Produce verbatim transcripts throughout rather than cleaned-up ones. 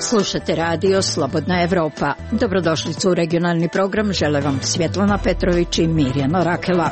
Slušate radio Slobodna Evropa. Dobrodošlicu u regionalni program. Žele vam Svjetlana Petrović i Mirjana Rakela.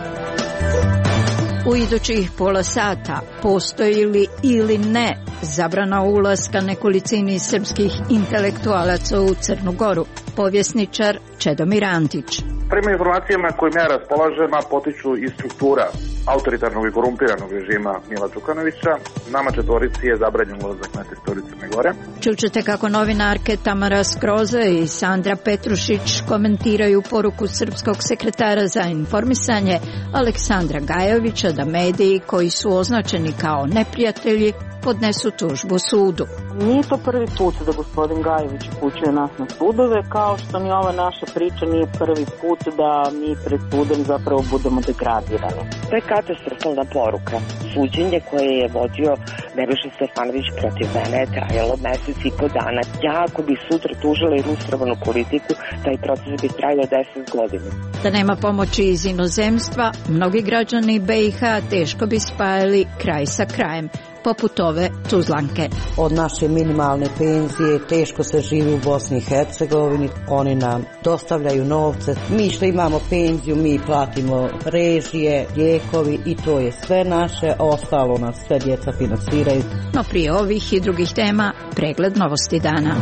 U idućih pola sata postoji li ili ne zabrana ulaska nekolicini srpskih intelektualaca u Crnu Goru? Povjesničar Čedomir Antić. Prema informacijama kojima ja raspolažem, a potiču iz struktura autoritarnog i korumpiranog režima Mila Đukanovića, nama četvorici je zabranjen ulazak na teritoriju Crne Gore. Čućete kako novinarke Tamara Skroza i Sandra Petrušić komentiraju poruku srpskog sekretara za informisanje Aleksandra Gajovića da mediji koji su označeni kao neprijatelji podnesu tužbu sudu. Nije to prvi put da gospodin Gajović upućuje nas na sudove, kao što ni ova naša priča nije prvi put da mi pred sudom zapravo budemo degradirani. To je katastrofalna poruka. Suđenje koje je vodio Nebojša Stefanović protiv mene je trajalo mesec i po dana. Ja ako bi sutra tužila i ilustrovanu politiku, taj proces bi trajao deset godina. Da nema pomoći iz inozemstva, mnogi građani B i H teško bi spajali kraj sa krajem, poput ove Tuzlanke. Od naše minimalne penzije teško se živi u Bosni i Hercegovini, oni nam dostavljaju novce. Mi što imamo penziju, mi platimo režije, lijekovi i to je sve naše, ostalo nas sve djeca finansiraju. No prije ovih i drugih tema, pregled novosti dana.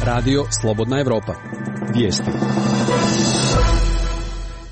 Radio Slobodna Evropa. Vijesti.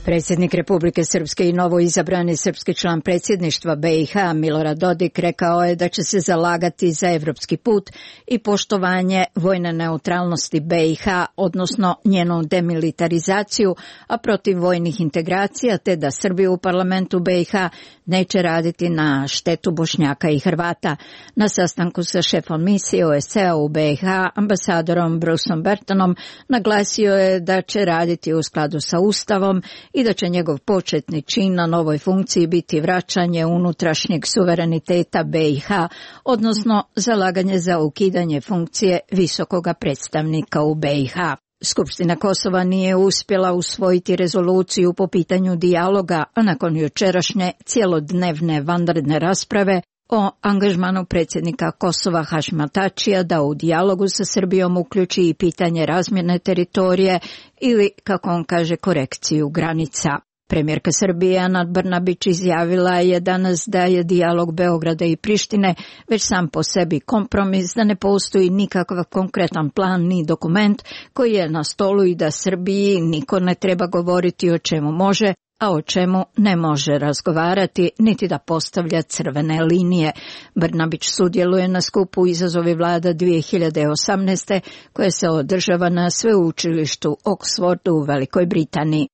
Predsjednik Republike Srpske i novoizabrani srpski član predsjedništva B i H Milorad Dodik rekao je da će se zalagati za evropski put i poštovanje vojne neutralnosti B i H, odnosno njenu demilitarizaciju, a protiv vojnih integracija, te da Srbija u parlamentu B i H neće raditi na štetu Bošnjaka i Hrvata. Na sastanku sa šefom misije O S C-a u B i H, ambasadorom Bruceom Bertonom, naglasio je da će raditi u skladu sa Ustavom i da će njegov početni čin na novoj funkciji biti vraćanje unutrašnjeg suvereniteta B i H, odnosno zalaganje za ukidanje funkcije visokoga predstavnika u B i H. Skupština Kosova nije uspjela usvojiti rezoluciju po pitanju dijaloga, a nakon jučerašnje cijelodnevne vanredne rasprave o angažmanu predsjednika Kosova Hašima Tačija da u dijalogu sa Srbijom uključi i pitanje razmjene teritorije ili, kako on kaže, korekciju granica. Premijerka Srbije Ana Brnabić izjavila je danas da je dijalog Beograda i Prištine već sam po sebi kompromis, da ne postoji nikakav konkretan plan ni dokument koji je na stolu i da Srbiji niko ne treba govoriti o čemu može, a o čemu ne može razgovarati, niti da postavlja crvene linije. Brnabić sudjeluje na skupu Izazovi vlada dvije hiljade osamnaeste koje se održava na sveučilištu Oxfordu u Velikoj Britaniji.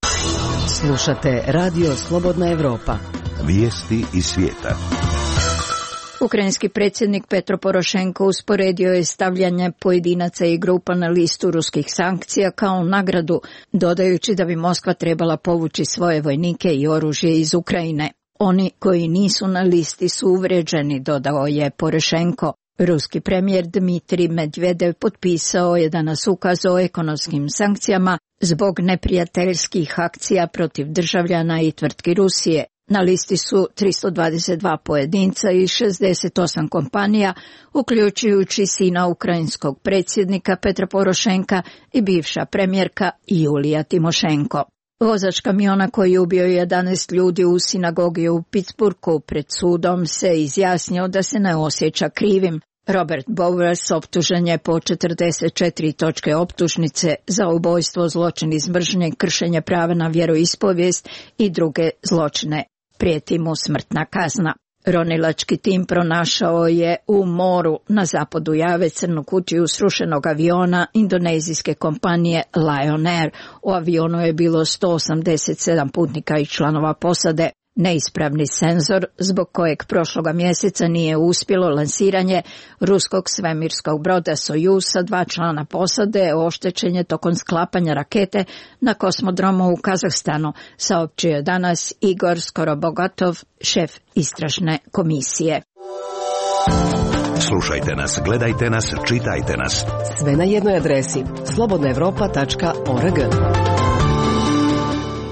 Slušate Radio Slobodna Evropa. Vijesti iz svijeta. Ukrajinski predsjednik Petro Porošenko usporedio je stavljanje pojedinaca i grupa na listu ruskih sankcija kao nagradu, dodajući da bi Moskva trebala povući svoje vojnike i oružje iz Ukrajine. Oni koji nisu na listi su uvrijeđeni, dodao je Porošenko. Ruski premijer Dmitrij Medvedev potpisao je danas ukaz o ekonomskim sankcijama zbog neprijateljskih akcija protiv državljana i tvrtki Rusije. Na listi su tristo dvadeset dva pojedinca i šezdeset osam kompanija, uključujući sina ukrajinskog predsjednika Petra Porošenka i bivša premijerka Julija Timošenko. Vozač kamiona koji je ubio jedanaest ljudi u sinagogi u Pittsburghu pred sudom se izjasnio da se ne osjeća krivim. Robert Bowers optužen je po četrdeset četiri točke optužnice za ubojstvo, zločin iz mržnje, kršenje prava na vjeroispovijest i druge zločine. Prijeti mu smrtna kazna. Ronilački tim pronašao je u moru na zapadu Jave crnu kutiju srušenog aviona indonezijske kompanije Lion Air. U avionu je bilo sto osamdeset sedam putnika i članova posade. Neispravni senzor, zbog kojeg prošloga mjeseca nije uspjelo lansiranje ruskog svemirskog broda Sojuz sa dva člana posade, oštećen je tokom sklapanja rakete na kosmodromu u Kazahstanu, saopćio je danas Igor Skorobogatov, šef istražne komisije. Slušajte nas, gledajte nas, čitajte nas. Sve na jednoj adresi slobodna evropa tačka org.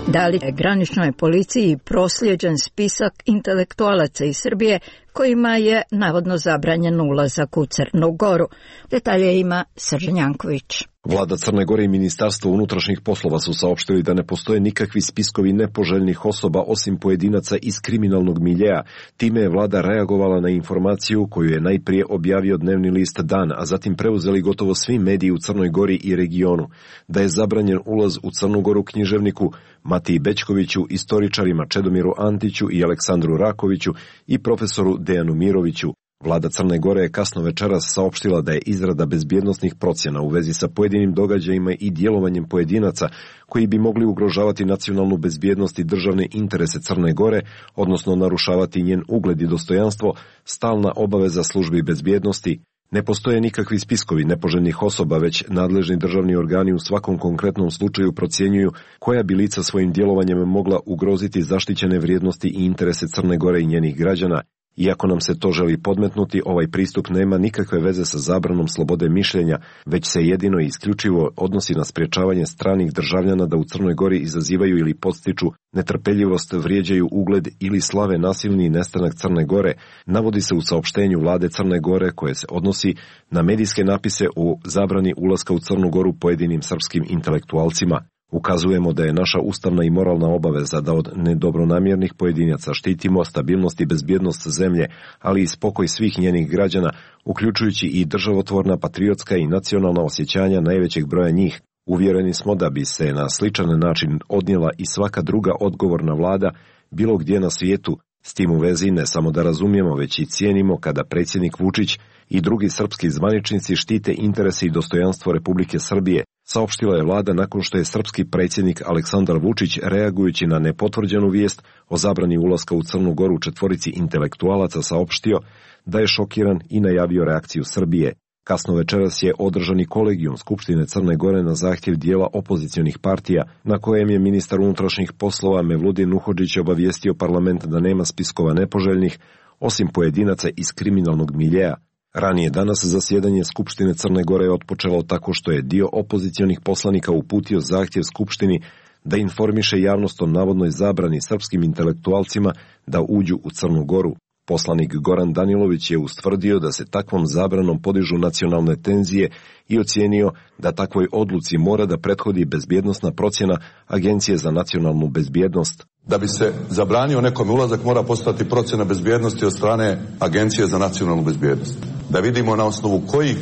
Da li je graničnoj policiji prosljeđen spisak intelektualaca iz Srbije kojima je navodno zabranjen ulazak u Crnu Goru. Detalje ima Srđan Janković. Vlada Crne Gore i Ministarstvo unutrašnjih poslova su saopštili da ne postoje nikakvi spiskovi nepoželjnih osoba osim pojedinaca iz kriminalnog miljeja. Time je vlada reagovala na informaciju koju je najprije objavio dnevni list Dan, a zatim preuzeli gotovo svi mediji u Crnoj Gori i regionu. Da je zabranjen ulaz u Crnu Goru književniku Matiji Bećkoviću, istoričarima Čedomiru Antiću i Aleksandru Rakoviću i profesoru Dejanu Miroviću. Vlada Crne Gore je kasno večeras saopštila da je izrada bezbjednosnih procjena u vezi sa pojedinim događajima i djelovanjem pojedinaca koji bi mogli ugrožavati nacionalnu bezbjednost i državne interese Crne Gore, odnosno narušavati njen ugled i dostojanstvo, stalna obaveza službi bezbjednosti. Ne postoje nikakvi spiskovi nepoželjnih osoba, već nadležni državni organi u svakom konkretnom slučaju procjenjuju koja bi lica svojim djelovanjem mogla ugroziti zaštićene vrijednosti i interese Crne Gore i njenih građana. Iako nam se to želi podmetnuti, ovaj pristup nema nikakve veze sa zabranom slobode mišljenja, već se jedino i isključivo odnosi na sprječavanje stranih državljana da u Crnoj Gori izazivaju ili podstiču netrpeljivost, vrijeđaju ugled ili slave nasilni nestanak Crne Gore, navodi se u saopštenju vlade Crne Gore koje se odnosi na medijske napise o zabrani ulaska u Crnu Goru pojedinim srpskim intelektualcima. Ukazujemo da je naša ustavna i moralna obaveza da od nedobronamjernih pojedinaca štitimo stabilnost i bezbjednost zemlje, ali i spokoj svih njenih građana, uključujući i državotvorna, patriotska i nacionalna osjećanja najvećeg broja njih. Uvjereni smo da bi se na sličan način odnijela i svaka druga odgovorna vlada bilo gdje na svijetu. S tim u vezi ne samo da razumijemo, već i cijenimo kada predsjednik Vučić i drugi srpski zvaničnici štite interese i dostojanstvo Republike Srbije, saopštila je vlada nakon što je srpski predsjednik Aleksandar Vučić, reagujući na nepotvrđenu vijest o zabrani ulaska u Crnu Goru četvorici intelektualaca, saopštio da je šokiran i najavio reakciju Srbije. Kasno večeras je održani kolegijum Skupštine Crne Gore na zahtjev dijela opozicionih partija, na kojem je ministar unutrašnjih poslova Mevludin Nuhodžić obavijestio parlament da nema spiskova nepoželjnih, osim pojedinaca iz kriminalnog miljeja. Ranije danas zasjedanje Skupštine Crne Gore je otpočelo tako što je dio opozicionih poslanika uputio zahtjev Skupštini da informiše javnost o navodnoj zabrani srpskim intelektualcima da uđu u Crnu Goru. Poslanik Goran Danilović je ustvrdio da se takvom zabranom podižu nacionalne tenzije i ocijenio da takvoj odluci mora da prethodi bezbjednosna procjena Agencije za nacionalnu bezbjednost. Da bi se zabranio nekom ulazak mora postati procjena bezbjednosti od strane Agencije za nacionalnu bezbjednost. Da vidimo na osnovu kojih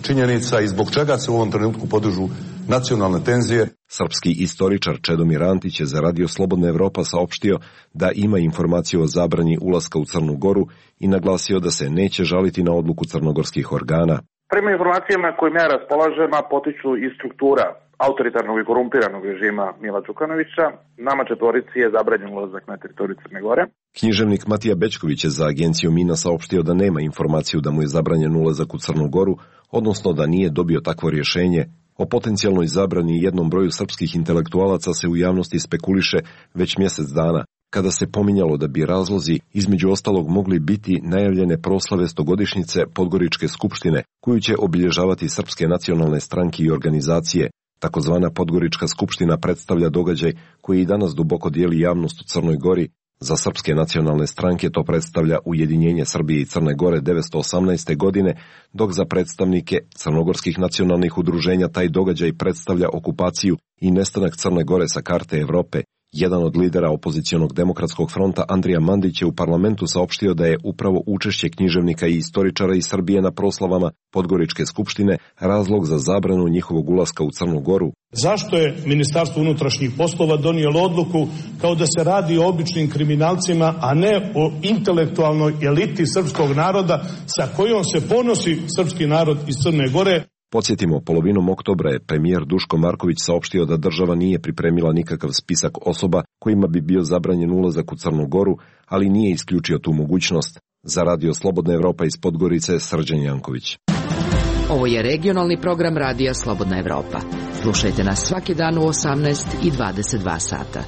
činjenica i zbog čega se u ovom trenutku podižu nacionalne tenzije. Srpski istoričar Čedomir Antić je za Radio Slobodna Evropa saopštio da ima informaciju o zabrani ulaska u Crnu Goru i naglasio da se neće žaliti na odluku crnogorskih organa. Prema informacijama kojim ja raspolažem, a potiču iz struktura autoritarnog i korumpiranog režima Mila Đukanovića, nama četvorici je zabranjen ulazak na teritoriju Crne Gore. Književnik Matija Bećković je za agenciju Mina saopštio da nema informaciju da mu je zabranjen ulazak u Crnu Goru, odnosno da nije dobio takvo rješenje. O potencijalnoj zabrani jednom broju srpskih intelektualaca se u javnosti spekuliše već mjesec dana, kada se pominjalo da bi razlozi između ostalog mogli biti najavljene proslave stogodišnjice Podgoričke skupštine, koju će obilježavati srpske nacionalne stranke i organizacije. Takozvana Podgorička skupština predstavlja događaj koji i danas duboko dijeli javnost u Crnoj Gori. Za srpske nacionalne stranke to predstavlja ujedinjenje Srbije i Crne Gore devetsto osamnaeste. godine, dok za predstavnike crnogorskih nacionalnih udruženja taj događaj predstavlja okupaciju i nestanak Crne Gore sa karte Evrope. Jedan od lidera opozicionog demokratskog fronta, Andrija Mandić, je u parlamentu saopštio da je upravo učešće književnika i istoričara iz Srbije na proslavama Podgoričke skupštine razlog za zabranu njihovog ulaska u Crnu Goru. Zašto je Ministarstvo unutrašnjih poslova donijelo odluku kao da se radi o običnim kriminalcima, a ne o intelektualnoj eliti srpskog naroda sa kojom se ponosi srpski narod iz Crne Gore? Podsjetimo, polovinom oktobra je premijer Duško Marković saopštio da država nije pripremila nikakav spisak osoba kojima bi bio zabranjen ulazak u Crnu Goru, ali nije isključio tu mogućnost. Za Radio Slobodna Evropa iz Podgorice, Srđan Janković. Ovo je regionalni program Radija Slobodna Evropa. Slušajte nas svaki dan u osamnaest i dvadeset dva sata.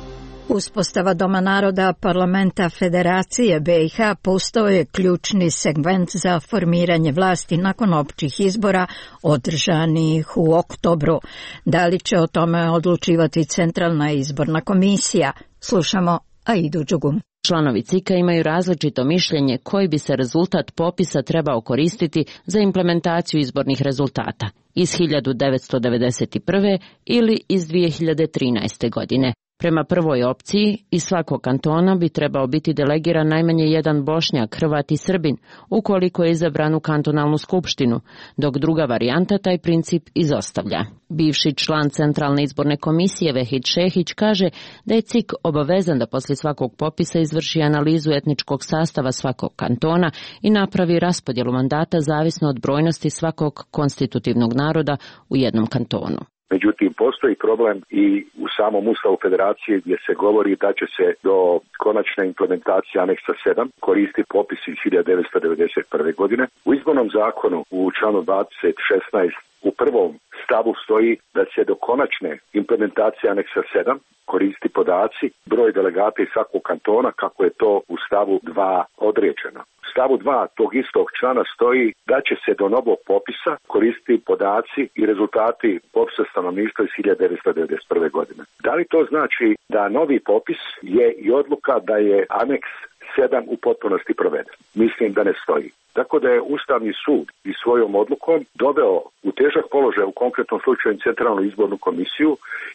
Uspostava Doma naroda Parlamenta Federacije be i ha postao je ključni segment za formiranje vlasti nakon općih izbora održanih u oktobru. Da li će o tome odlučivati Centralna izborna komisija? Slušamo Aidu Đugum. Članovi C I K-a imaju različito mišljenje koji bi se rezultat popisa trebao koristiti za implementaciju izbornih rezultata iz hiljadu devetsto devedeset prve. ili iz dvije hiljade trinaeste. godine. Prema prvoj opciji, iz svakog kantona bi trebao biti delegiran najmanje jedan Bošnjak, Hrvat i Srbin, ukoliko je izabran u kantonalnu skupštinu, dok druga varijanta taj princip izostavlja. Bivši član Centralne izborne komisije Vehid Šehić kaže da je C I K obavezan da poslije svakog popisa izvrši analizu etničkog sastava svakog kantona i napravi raspodjelu mandata zavisno od brojnosti svakog konstitutivnog naroda u jednom kantonu. Međutim, postoji problem i u samom Ustavu Federacije gdje se govori da će se do konačne implementacije aneksa sedam koristiti popis iz hiljadu devetsto devedeset prve. godine. U izbornom zakonu u članu dvadeset šesnaest u prvom stavu stoji da će do konačne implementacije aneksa sedam koristi podaci, broj delegata iz svakog kantona kako je to u stavu dva određeno. U stavu dva tog istog člana stoji da će se do novog popisa koristiti podaci i rezultati popisa stanovništva iz hiljadu devetsto devedeset prve. godine. Da li to znači da novi popis je i odluka da je aneks sedam u potpunosti proveden? Mislim da ne stoji. Tako da je Ustavni sud i svojom odlukom doveo u težak položaj u konkretnom slučaju Centralnu izbornu komisiju,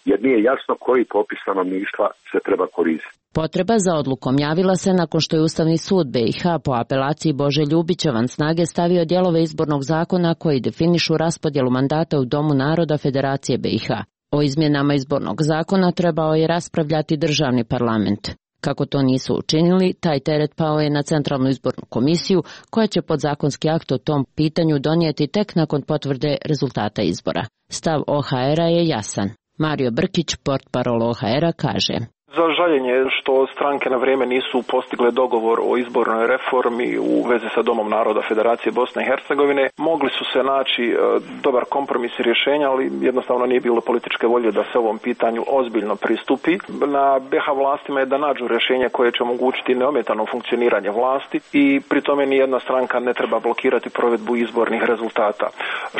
jer nije jasno koji popis stanovništva se treba koristiti. Potreba za odlukom javila se nakon što je Ustavni sud B i H po apelaciji Bože Ljubića van snage stavio dijelove izbornog zakona koji definišu raspodjelu mandata u Domu naroda Federacije B i H. O izmjenama izbornog zakona trebao je raspravljati državni parlament. Kako to nisu učinili, taj teret pao je na Centralnu izbornu komisiju, koja će podzakonski akt o tom pitanju donijeti tek nakon potvrde rezultata izbora. Stav O H R-a je jasan. Mario Brkić, portparol O H R-a, kaže: Za žaljenje što stranke na vrijeme nisu postigle dogovor o izbornoj reformi u vezi sa Domom naroda Federacije Bosne i Hercegovine. Mogli su se naći e, dobar kompromis i rješenja, ali jednostavno nije bilo političke volje da se ovom pitanju ozbiljno pristupi. Na B i H vlastima je da nađu rješenje koje će omogućiti neometano funkcioniranje vlasti i pri tome nijedna stranka ne treba blokirati provedbu izbornih rezultata.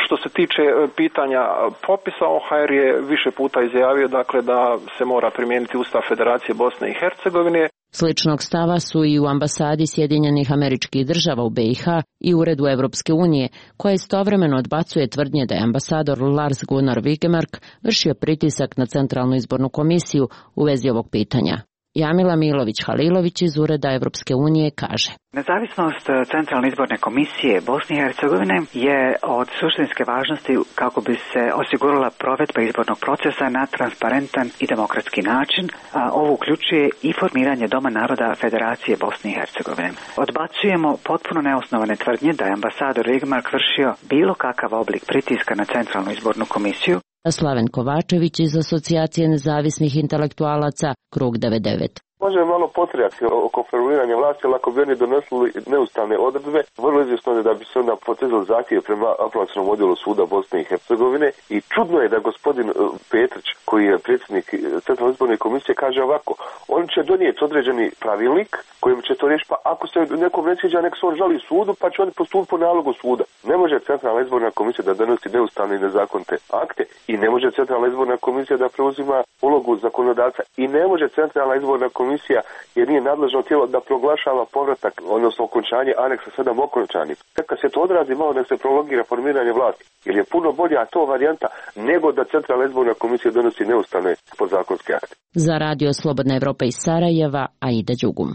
Što se tiče pitanja popisa, O H R je više puta izjavio dakle da se mora primijeniti Ustav Federacije Bosne i Hercegovine. Sličnog stava su i u ambasadi Sjedinjenih Američkih Država u B i H i Uredu Evropske unije, koja istovremeno odbacuje tvrdnje da je ambasador Lars Gunnar Vigemark vršio pritisak na Centralnu izbornu komisiju u vezi ovog pitanja. Jamila Milović-Halilović iz Ureda Evropske unije kaže: Nezavisnost Centralne izborne komisije Bosne i Hercegovine je od suštinske važnosti kako bi se osigurala provedba izbornog procesa na transparentan i demokratski način, a ovo uključuje i formiranje Doma naroda Federacije Bosne i Hercegovine. Odbacujemo potpuno neosnovane tvrdnje da je ambasador Vigemark vršio bilo kakav oblik pritiska na Centralnu izbornu komisiju. Slaven Kovačević iz Asocijacije nezavisnih intelektualaca, Krug devedeset devet. Može malo potrijati oko formiranja vlasti, ali ako bi oni donosili neustavne odredbe, vrlo izvjesno je da bi se onda potezali zahtjev prema apelacionom odjelu suda Bosne i Hercegovine. I čudno je da gospodin Petrić, koji je predsjednik Centralne izborne komisije, kaže ovako: on će donijeti određeni pravilnik kojim će to riješiti, pa ako se nekom ne sviđa, nek se on žali sudu, pa će on postupiti po nalogu suda. Ne može Centralna izborna komisija da donosi neustavne i nezakonite akte i ne može Centralna izborna komisija da preuzima ulogu zakonodavca i ne može Centralna izborna komisija, jer nije nadležno tijelo, da proglašava povratak, odnosno okončanje aneksa sedam okončanim. Kad se to odrazi, malo nek se prologira formiranje vlasti, jer je puno bolja to varijanta nego da Centralna izborna komisija donosi neustavne podzakonske akte. Za Radio Slobodna Evropa iz Sarajeva, Aida Đugum.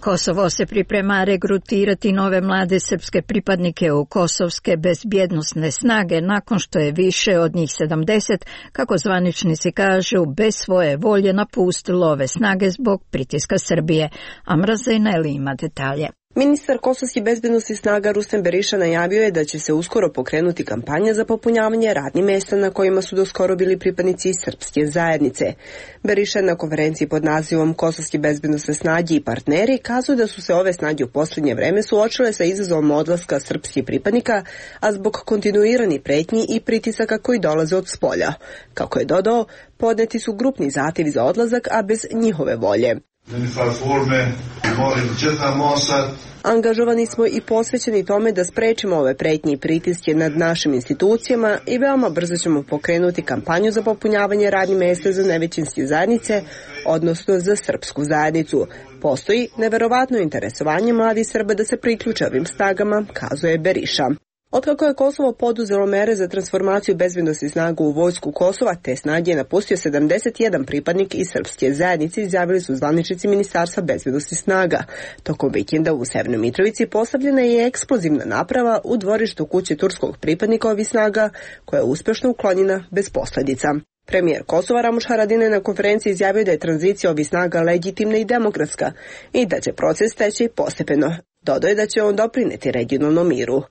Kosovo se priprema regrutirati nove mlade srpske pripadnike u kosovske bezbjednosne snage nakon što je više od njih sedamdeset, kako zvaničnici kažu, bez svoje volje napustilo ove snage zbog pritiska Srbije. Amra Zejneli ima detalje. Ministar kosovskih bezbednosnih snaga Rustem Beriša najavio je da će se uskoro pokrenuti kampanja za popunjavanje radnih mjesta na kojima su doskoro bili pripadnici srpske zajednice. Beriša na konferenciji pod nazivom Kosovske bezbednosne snage i partneri kazuje da su se ove snage u posljednje vreme suočile sa izazovom odlaska srpskih pripadnika, a zbog kontinuiranih pretnji i pritisaka koji dolaze od spolja. Kako je dodao, podneti su grupni zahtjevi za odlazak, a bez njihove volje. Angažovani smo i posvećeni tome da sprečimo ove pretnje i pritiske nad našim institucijama i veoma brzo ćemo pokrenuti kampanju za popunjavanje radnih mesta za nevećinske zajednice, odnosno za srpsku zajednicu. Postoji neverovatno interesovanje mladih Srba da se priključe ovim snagama, kazuje Beriša. Otkako je Kosovo poduzelo mere za transformaciju bezbednosnih snaga u vojsku Kosova, te snage je napustio sedamdeset jedan pripadnik iz srpske zajednice, izjavili su zvaničnici Ministarstva bezbednosnih snaga. Tokom vikenda u Severnoj Mitrovici postavljena je eksplozivna naprava u dvorištu kuće turskog pripadnika ovih snaga, koja je uspešno uklonjena bez posledica. Premijer Kosova Ramuš Haradinaj na konferenciji izjavio da je tranzicija ovih snaga legitimna i demokratska i da će proces teći postepeno. Dodao je da će on doprineti regionalnom miru.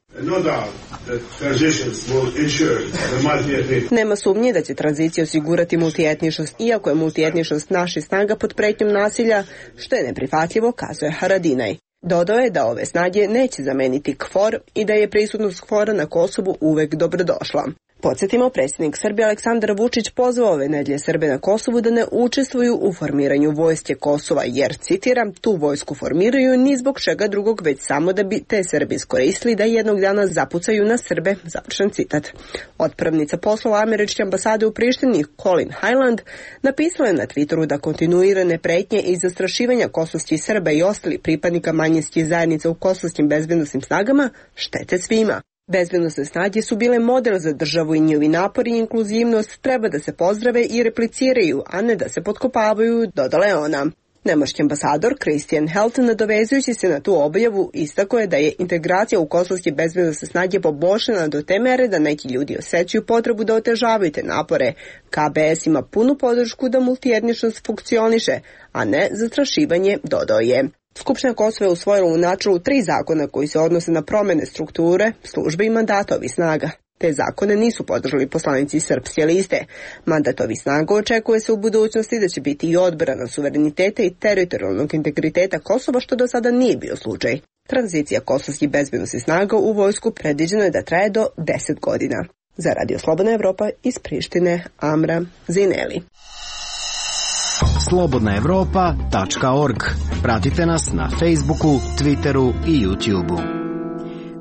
Nema sumnje da će tranzicija osigurati multietničnost, iako je multietničnost naših snaga pod pretnjom nasilja, što je neprihvatljivo, kazuje Haradinaj. Dodao je da ove snage neće zameniti KFOR i da je prisutnost KFOR-a na Kosovu uvek dobrodošla. Podsjetimo, predsjednik Srbije Aleksandar Vučić pozvao ove nedelje Srbe na Kosovu da ne učestvuju u formiranju vojske Kosova, jer, citiram, tu vojsku formiraju ni zbog čega drugog, već samo da bi te Srbi iskoristili da jednog dana zapucaju na Srbe, završen citat. Otpravnica poslova američke ambasade u Prištini, Colin Highland, napisala je na Twitteru da kontinuirane pretnje i zastrašivanja kosovskih Srba i ostali pripadnika manjinskih zajednica u kosovskim bezbednosnim snagama štete svima. Bezbednosne snage su bile model za državu i njihovi napori i inkluzivnost treba da se pozdrave i repliciraju, a ne da se potkopavaju, dodala je ona. Nemački ambasador Christian Helton, nadovezujući se na tu objavu, istako je da je integracija u kosovske bezbednosne snage poboljšana do te mere da neki ljudi osjećaju potrebu da otežavaju te napore. K B S ima punu podršku da multietničnost funkcioniše, a ne zastrašivanje, dodao je. Skupština Kosova je usvojila u načelu tri zakona koji se odnose na promene strukture, službe i mandata ovih snaga. Te zakone nisu podržali poslanici Srpske liste. Mandat ovih snaga očekuje se u budućnosti da će biti i odbrana suvereniteta i teritorijalnog integriteta Kosova, što do sada nije bio slučaj. Tranzicija kosovskih bezbednosnih snaga u vojsku predviđeno je da traje do deset godina. Za Radio Slobodna Evropa iz Prištine, Amra Zineli. slobodna evropa tačka org. Pratite nas na Facebooku, Twitteru i YouTubeu.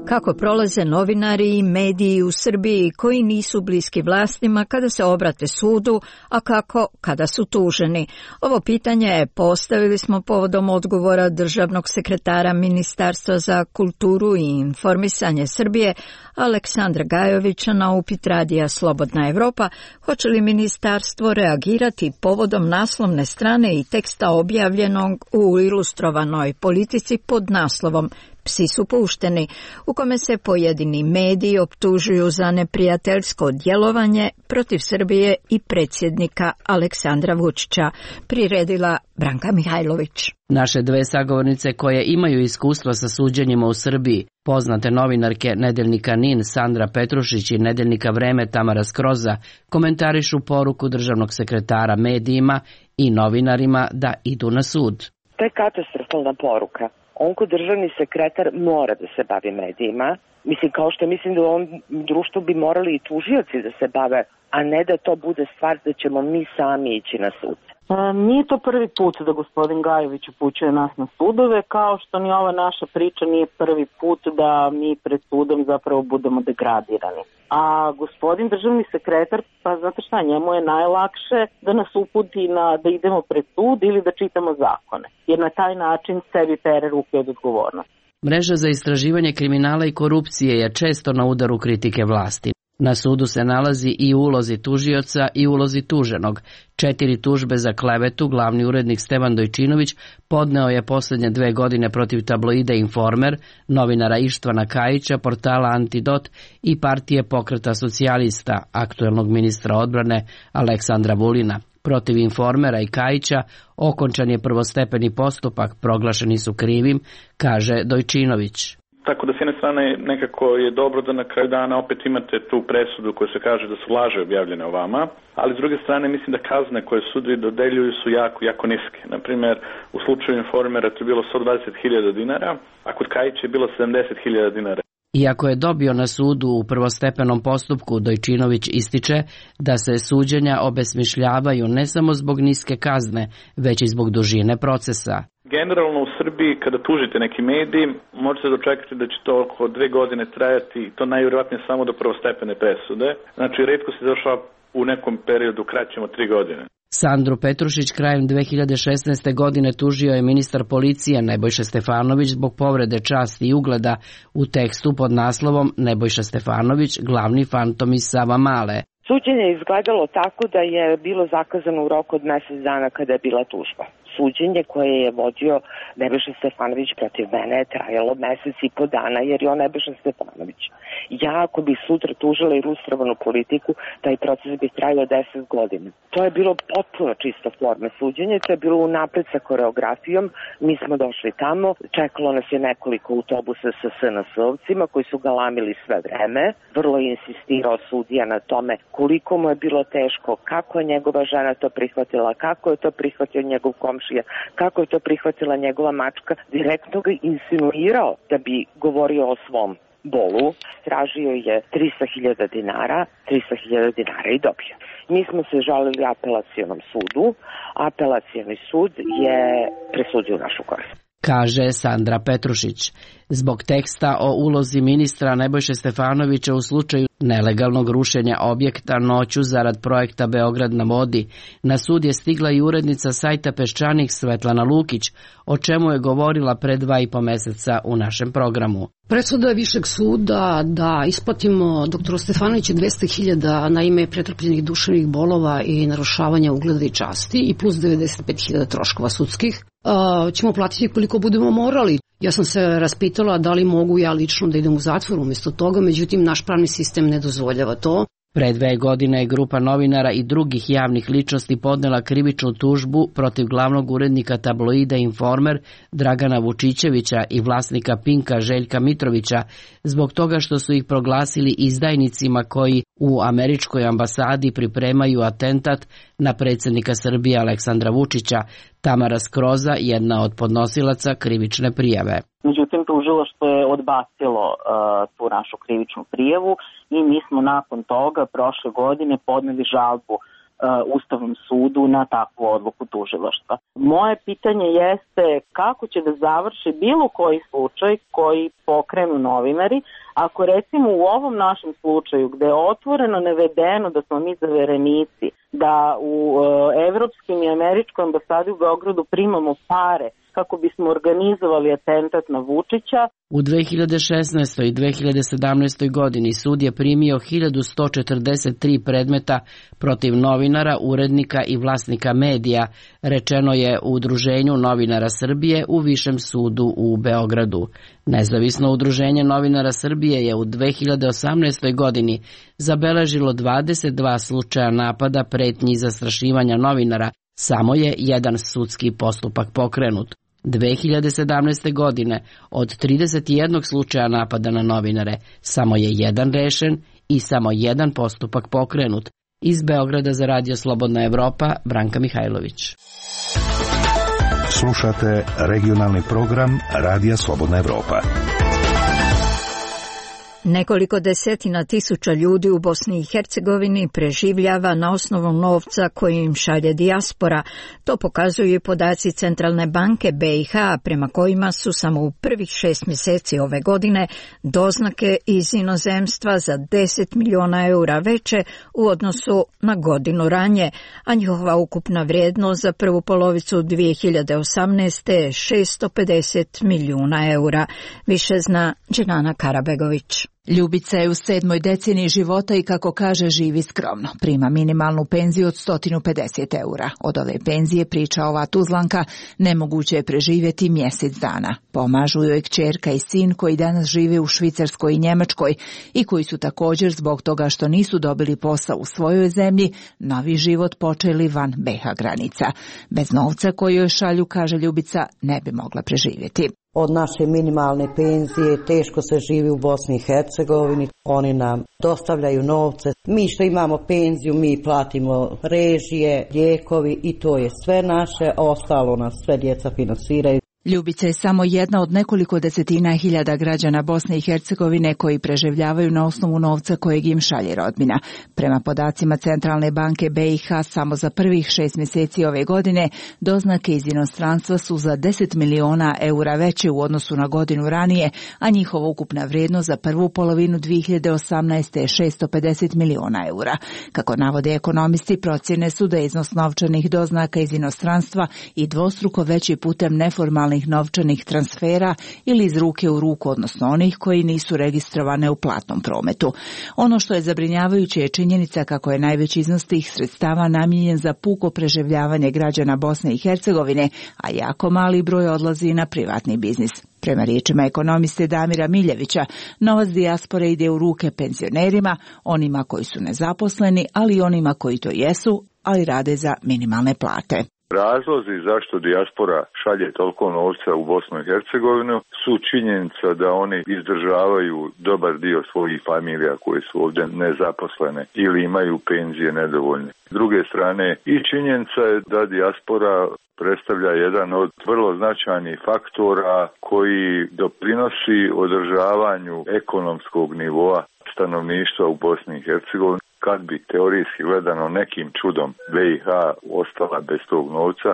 Kako prolaze novinari i mediji u Srbiji koji nisu bliski vlastima kada se obrate sudu, a kako kada su tuženi? Ovo pitanje postavili smo povodom odgovora državnog sekretara Ministarstva za kulturu i informisanje Srbije, Aleksandra Gajovića, na upit radija Slobodna Evropa, hoće li ministarstvo reagirati povodom naslovne strane i teksta objavljenog u Ilustrovanoj politici pod naslovom Psi su pušteni, u kome se pojedini mediji optužuju za neprijateljsko djelovanje protiv Srbije i predsjednika Aleksandra Vučića, priredila Branka Mihajlović. Naše dve sagovornice koje imaju iskustva sa suđenjima u Srbiji, poznate novinarke Nedeljnika NIN Sandra Petrušić i Nedeljnika Vreme Tamara Skroza, komentarišu poruku državnog sekretara medijima i novinarima da idu na sud. To je katastrofalna poruka. On ko državni sekretar mora da se bavi medijima. Mislim, kao što mislim da u ovom društvu bi morali i tužioci da se bave, a ne da to bude stvar da ćemo mi sami ići na sud. E, nije to prvi put da gospodin Gajović upućuje nas na sudove, kao što ni ova naša priča nije prvi put da mi pred sudom zapravo budemo degradirani. A gospodin državni sekretar, pa znate šta, njemu je najlakše da nas uputi na da idemo pred sud ili da čitamo zakone, jer na taj način sebi pere ruke od odgovornosti. Mreža za istraživanje kriminala i korupcije je često na udaru kritike vlasti. Na sudu se nalazi i ulozi tužioca i ulozi tuženog. Četiri tužbe za klevetu glavni urednik Stevan Dojčinović podneo je posljednje dve godine protiv tabloida Informer, novinara Ištvana Kajića, portala Antidot i partije Pokreta socijalista, aktuelnog ministra odbrane Aleksandra Vulina. Protiv Informera i Kajića okončan je prvostepeni postupak, proglašeni su krivim, kaže Dojčinović. Tako da s jedne strane nekako je dobro da na kraju dana opet imate tu presudu koja se kaže da su laže objavljene o vama, ali s druge strane mislim da kazne koje sudovi dodeljuju su jako, jako niske. Naprimjer, u slučaju Informera to je bilo sto dvadeset hiljada dinara, a kod Kajića je bilo sedamdeset hiljada dinara. Iako je dobio na sudu u prvostepenom postupku, Dojčinović ističe da se suđenja obesmišljavaju ne samo zbog niske kazne, već i zbog dužine procesa. Generalno u Srbiji kada tužite neki medij možete dočekati da će to oko dve godine trajati i to najvjerojatnije samo do prvostepene presude. Znači retko se završava u nekom periodu kraćem od tri godine. Sandru Petrušić krajem dve hiljade šesnaeste. godine tužio je ministar policije Nebojša Stefanović zbog povrede časti i ugleda u tekstu pod naslovom Nebojša Stefanović, glavni fantom iz Savamale. Suđenje je izgledalo tako da je bilo zakazano u roku od mjesec dana kada je bila tužba. Suđenje koje je vodio Nebojša Stefanović protiv mene je trajalo mjesec i po dana jer je on Nebojša Stefanović. Ja ako bi sutra tužila i ilustrovanu politiku, taj proces bi trajao deset godina. To je bilo potpuno čisto forme suđenje, to je bilo unapred sa koreografijom. Mi smo došli tamo, čekalo nas je nekoliko autobusa sa S N S-ovcima koji su galamili sve vreme. Vrlo je insistirao sudija na tome koliko mu je bilo teško, kako je njegova žena to prihvatila, kako je to prihvatio njegov komšija, kako je to prihvatila njegova mačka. Direktno ga insinuirao da bi govorio o svom bolu. Tražio je tristo hiljada dinara, tristo hiljada dinara i dobio. Mi smo se žalili apelacionom sudu, apelacioni sud je presudio našu korist. Kaže Sandra Petrušić. Zbog teksta o ulozi ministra Nebojše Stefanovića u slučaju nelegalnog rušenja objekta noću zarad projekta Beograd na vodi, na sud je stigla i urednica sajta Peščanik Svetlana Lukić, o čemu je govorila pre dva i po meseca u našem programu. Presuda Višeg suda da isplatimo doktoru Stefanoviću dvesta hiljada na ime pretrpljenih duševnih bolova i narušavanja ugleda i časti i plus devedeset pet hiljada troškova sudskih. A, ćemo platiti koliko budemo morali. Ja sam se raspitala da li mogu ja lično da idem u zatvor umjesto toga, međutim naš pravni sistem ne dozvoljava to. Pre dve godine je grupa novinara i drugih javnih ličnosti podnela krivičnu tužbu protiv glavnog urednika tabloida Informer Dragana Vučićevića i vlasnika Pinka Željka Mitrovića zbog toga što su ih proglasili izdajnicima koji u američkoj ambasadi pripremaju atentat na predsjednika Srbije Aleksandra Vučića. Tamara Skroza, jedna od podnosilaca krivične prijave. Međutim, tužilaštvo je odbacilo uh, tu našu krivičnu prijavu i mi smo nakon toga prošle godine podneli žalbu uh, Ustavnom sudu na takvu odluku tužilaštva. Moje pitanje jeste kako će da završi bilo koji slučaj koji pokrenu novinari, ako recimo u ovom našem slučaju gde je otvoreno navedeno da smo mi zaverenici, da u uh, evropskim i američkoj ambasadi u Beogradu primamo pare kako bismo organizovali atentat na Vučića. U dve hiljade šesnaestoj. i dve hiljade sedamnaestoj. godini sud je primio hiljadu sto četrdeset tri predmeta protiv novinara, urednika i vlasnika medija, rečeno je u Udruženju novinara Srbije u Višem sudu u Beogradu. Nezavisno udruženje novinara Srbije je u dve hiljade osamnaestoj. godini zabeležilo dvadeset dva slučaja napada, pretnji i zastrašivanja novinara, samo je jedan sudski postupak pokrenut. dve hiljade sedamnaeste. godine od trideset jednog slučaja napada na novinare, samo je jedan rešen i samo jedan postupak pokrenut. Iz Beograda za Radio Slobodna Evropa, Branka Mihajlović. Slušate regionalni program Radija Slobodna Evropa. Nekoliko desetina tisuća ljudi u Bosni i Hercegovini preživljava na osnovu novca koji im šalje dijaspora. To pokazuju i podaci Centralne banke B i H, prema kojima su samo u prvih šest mjeseci ove godine doznake iz inozemstva za deset miliona eura veće u odnosu na godinu ranije, a njihova ukupna vrijednost za prvu polovicu dvije hiljade osamnaeste. je šesto pedeset milijuna eura. Više zna Dženana Karabegović. Ljubica je u sedmoj deceniji života i kako kaže živi skromno. Prima minimalnu penziju od sto pedeset eura. Od ove penzije, priča ova Tuzlanka, nemoguće je preživjeti mjesec dana. Pomažu joj kćerka i sin koji danas žive u Švicarskoj i Njemačkoj i koji su također zbog toga što nisu dobili posao u svojoj zemlji, novi život počeli van B i H granica. Bez novca koji joj šalju, kaže Ljubica, ne bi mogla preživjeti. Od naše minimalne penzije teško se živi u Bosni i Hercegovini. Oni nam dostavljaju novce. Mi što imamo penziju, mi platimo režije, lijekovi i to je sve naše. Ostalo nas sve djeca finansiraju. Ljubica je samo jedna od nekoliko desetina hiljada građana Bosne i Hercegovine koji preživljavaju na osnovu novca kojeg im šalje rodbina. Prema podacima Centralne banke B i H, samo za prvih šest mjeseci ove godine doznake iz inostranstva su za deset miliona eura veće u odnosu na godinu ranije, a njihova ukupna vrijednost za prvu polovinu dvije hiljade osamnaeste je šesto pedeset miliona eura. Kako navode ekonomisti, procjene su da je iznos novčanih doznaka iz inostranstva i dvostruko veći putem neformalnih novčanih transfera ili iz ruke u ruku, odnosno onih koji nisu registrovane u platnom prometu. Ono što je zabrinjavajuće je činjenica kako je najveći iznos tih sredstava namijenjen za puko preživljavanje građana Bosne i Hercegovine, a jako mali broj odlazi na privatni biznis. Prema riječima ekonomiste Damira Miljevića, novac dijaspore ide u ruke penzionerima, onima koji su nezaposleni, ali i onima koji to jesu, ali rade za minimalne plate. Razlozi zašto dijaspora šalje toliko novca u Bosnu i Hercegovinu su činjenica da oni izdržavaju dobar dio svojih familija koje su ovdje nezaposlene ili imaju penzije nedovoljne. S druge strane i činjenica je da dijaspora predstavlja jedan od vrlo značajnih faktora koji doprinosi održavanju ekonomskog nivoa stanovništva u Bosni i Hercegovini. Kad bi teorijski gledano nekim čudom B i H ostala bez tog novca,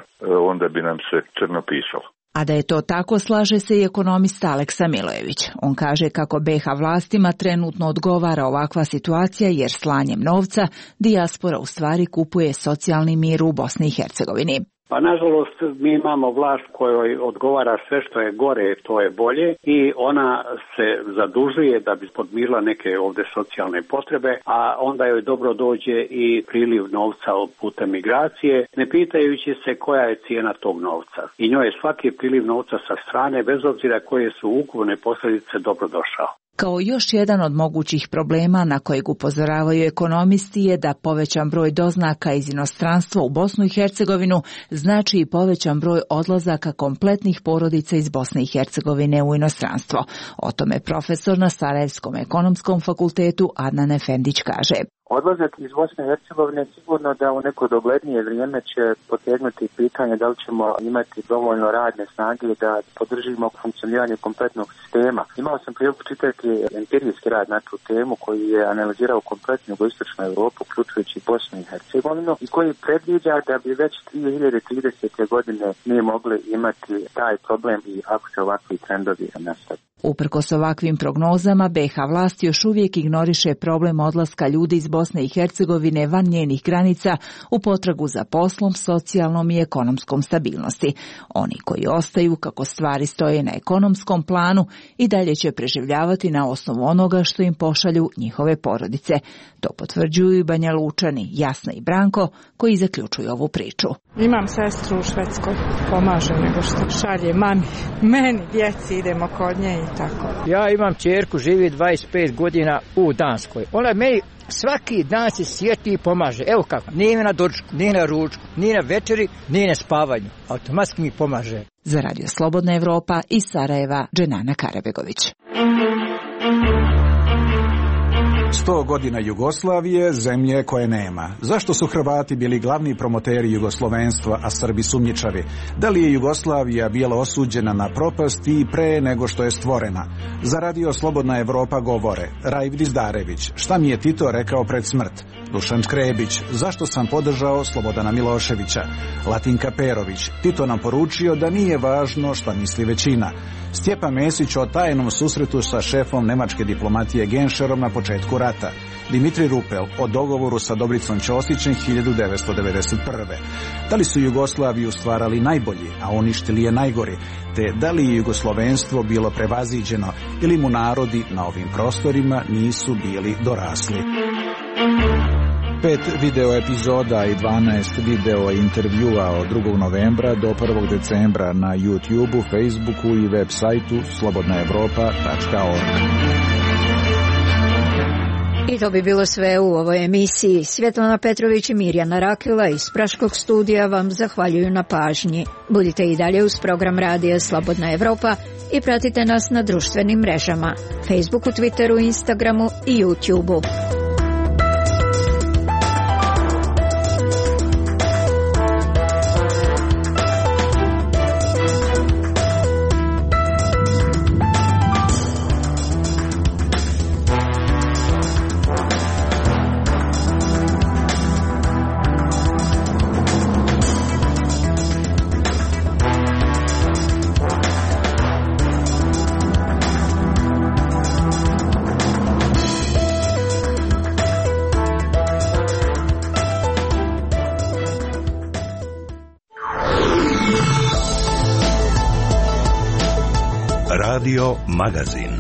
onda bi nam se crno pisalo. A da je to tako, slaže se i ekonomista Aleksa Milojević. On kaže kako B i H vlastima trenutno odgovara ovakva situacija jer slanjem novca dijaspora u stvari kupuje socijalni mir u Bosni i Hercegovini. Pa nažalost mi imamo vlast kojoj odgovara sve što je gore, to je bolje i ona se zadužuje da bi podmirila neke ovdje socijalne potrebe, a onda joj dobro dođe i priliv novca putem migracije, ne pitajući se koja je cijena tog novca. I njoj je svaki priliv novca sa strane, bez obzira koje su ukupne posljedice, dobro došao. Kao još jedan od mogućih problema na kojeg upozoravaju ekonomisti je da povećan broj doznaka iz inostranstva u Bosnu i Hercegovinu znači i povećan broj odlazaka kompletnih porodica iz Bosne i Hercegovine u inostranstvo. O tome profesor na Sarajevskom ekonomskom fakultetu Adnan Efendić kaže. Odlazak iz Bosne i Hercegovine sigurno da u neko doglednije vrijeme će potegnuti pitanje da li ćemo imati dovoljno radne snage da podržimo funkcioniranje kompletnog sistema. Imao sam priliku čitati empirijski rad na tu temu koji je analizirao kompletnu jugoistočnu Europu, uključujući Bosnu i Hercegovinu, i koji predviđa da bi već dvije hiljade tridesete. godine mi mogli imati taj problem i ako se ovakvi trendovi nastave. Uprkos ovakvim prognozama, B i H vlast još uvijek ignoriše problem odlaska ljudi iz Bosne i Hercegovine van njenih granica u potragu za poslom, socijalnom i ekonomskom stabilnosti. Oni koji ostaju, kako stvari stoje na ekonomskom planu, i dalje će preživljavati na osnovu onoga što im pošalju njihove porodice. To potvrđuju i Banja Lučani, Jasna i Branko, koji zaključuju ovu priču. Imam sestru u Švedskoj, pomaže nego što šalje mami, meni, djeci, idemo kod nje i tako. Ja imam ćerku, živi dvadeset pet godina u Danskoj. Ona meni svaki dan se sjeti i pomaže. Evo kako, nije na doručku, nije na ručku, nije na večeri, nije na spavanju. Automatski mi pomaže. Za Radio Slobodna Evropa iz Sarajeva, Dženana Karabegović. Sto godina Jugoslavije, zemlje koje nema. Zašto su Hrvati bili glavni promoteri jugoslovenstva, a Srbi sumnjičavi? Da li je Jugoslavija bila osuđena na propast i pre nego što je stvorena? Za Radio Slobodna Evropa govore Rajv Dizdarević, šta mi je Tito rekao pred smrt? Dušan Škrebić, zašto sam podržao Slobodana Miloševića? Latinka Perović, Tito nam poručio da nije važno šta misli većina. Stjepan Mesić o tajnom susretu sa šefom nemačke diplomatije Genšerom na početku rata. Dimitri Rupel o dogovoru sa Dobricom Ćosićem hiljadu devetsto devedeset prve. Da li su Jugoslaviju stvarali najbolji, a uništili je najgori, te da li je jugoslovenstvo bilo prevaziđeno ili mu narodi na ovim prostorima nisu bili dorasli. Pet video epizoda i dvanaest video intervjua od drugog novembra do prvog decembra na YouTubeu, Facebooku i web sajtu slobodna evropa tačka org. I to bi bilo sve u ovoj emisiji. Svjetlana Petrović i Mirjana Rakila iz Praškog studija vam zahvaljuju na pažnji. Budite i dalje uz program Radija Slobodna Evropa i pratite nas na društvenim mrežama, Facebooku, Twitteru, Instagramu i YouTubeu. Radio Magazin.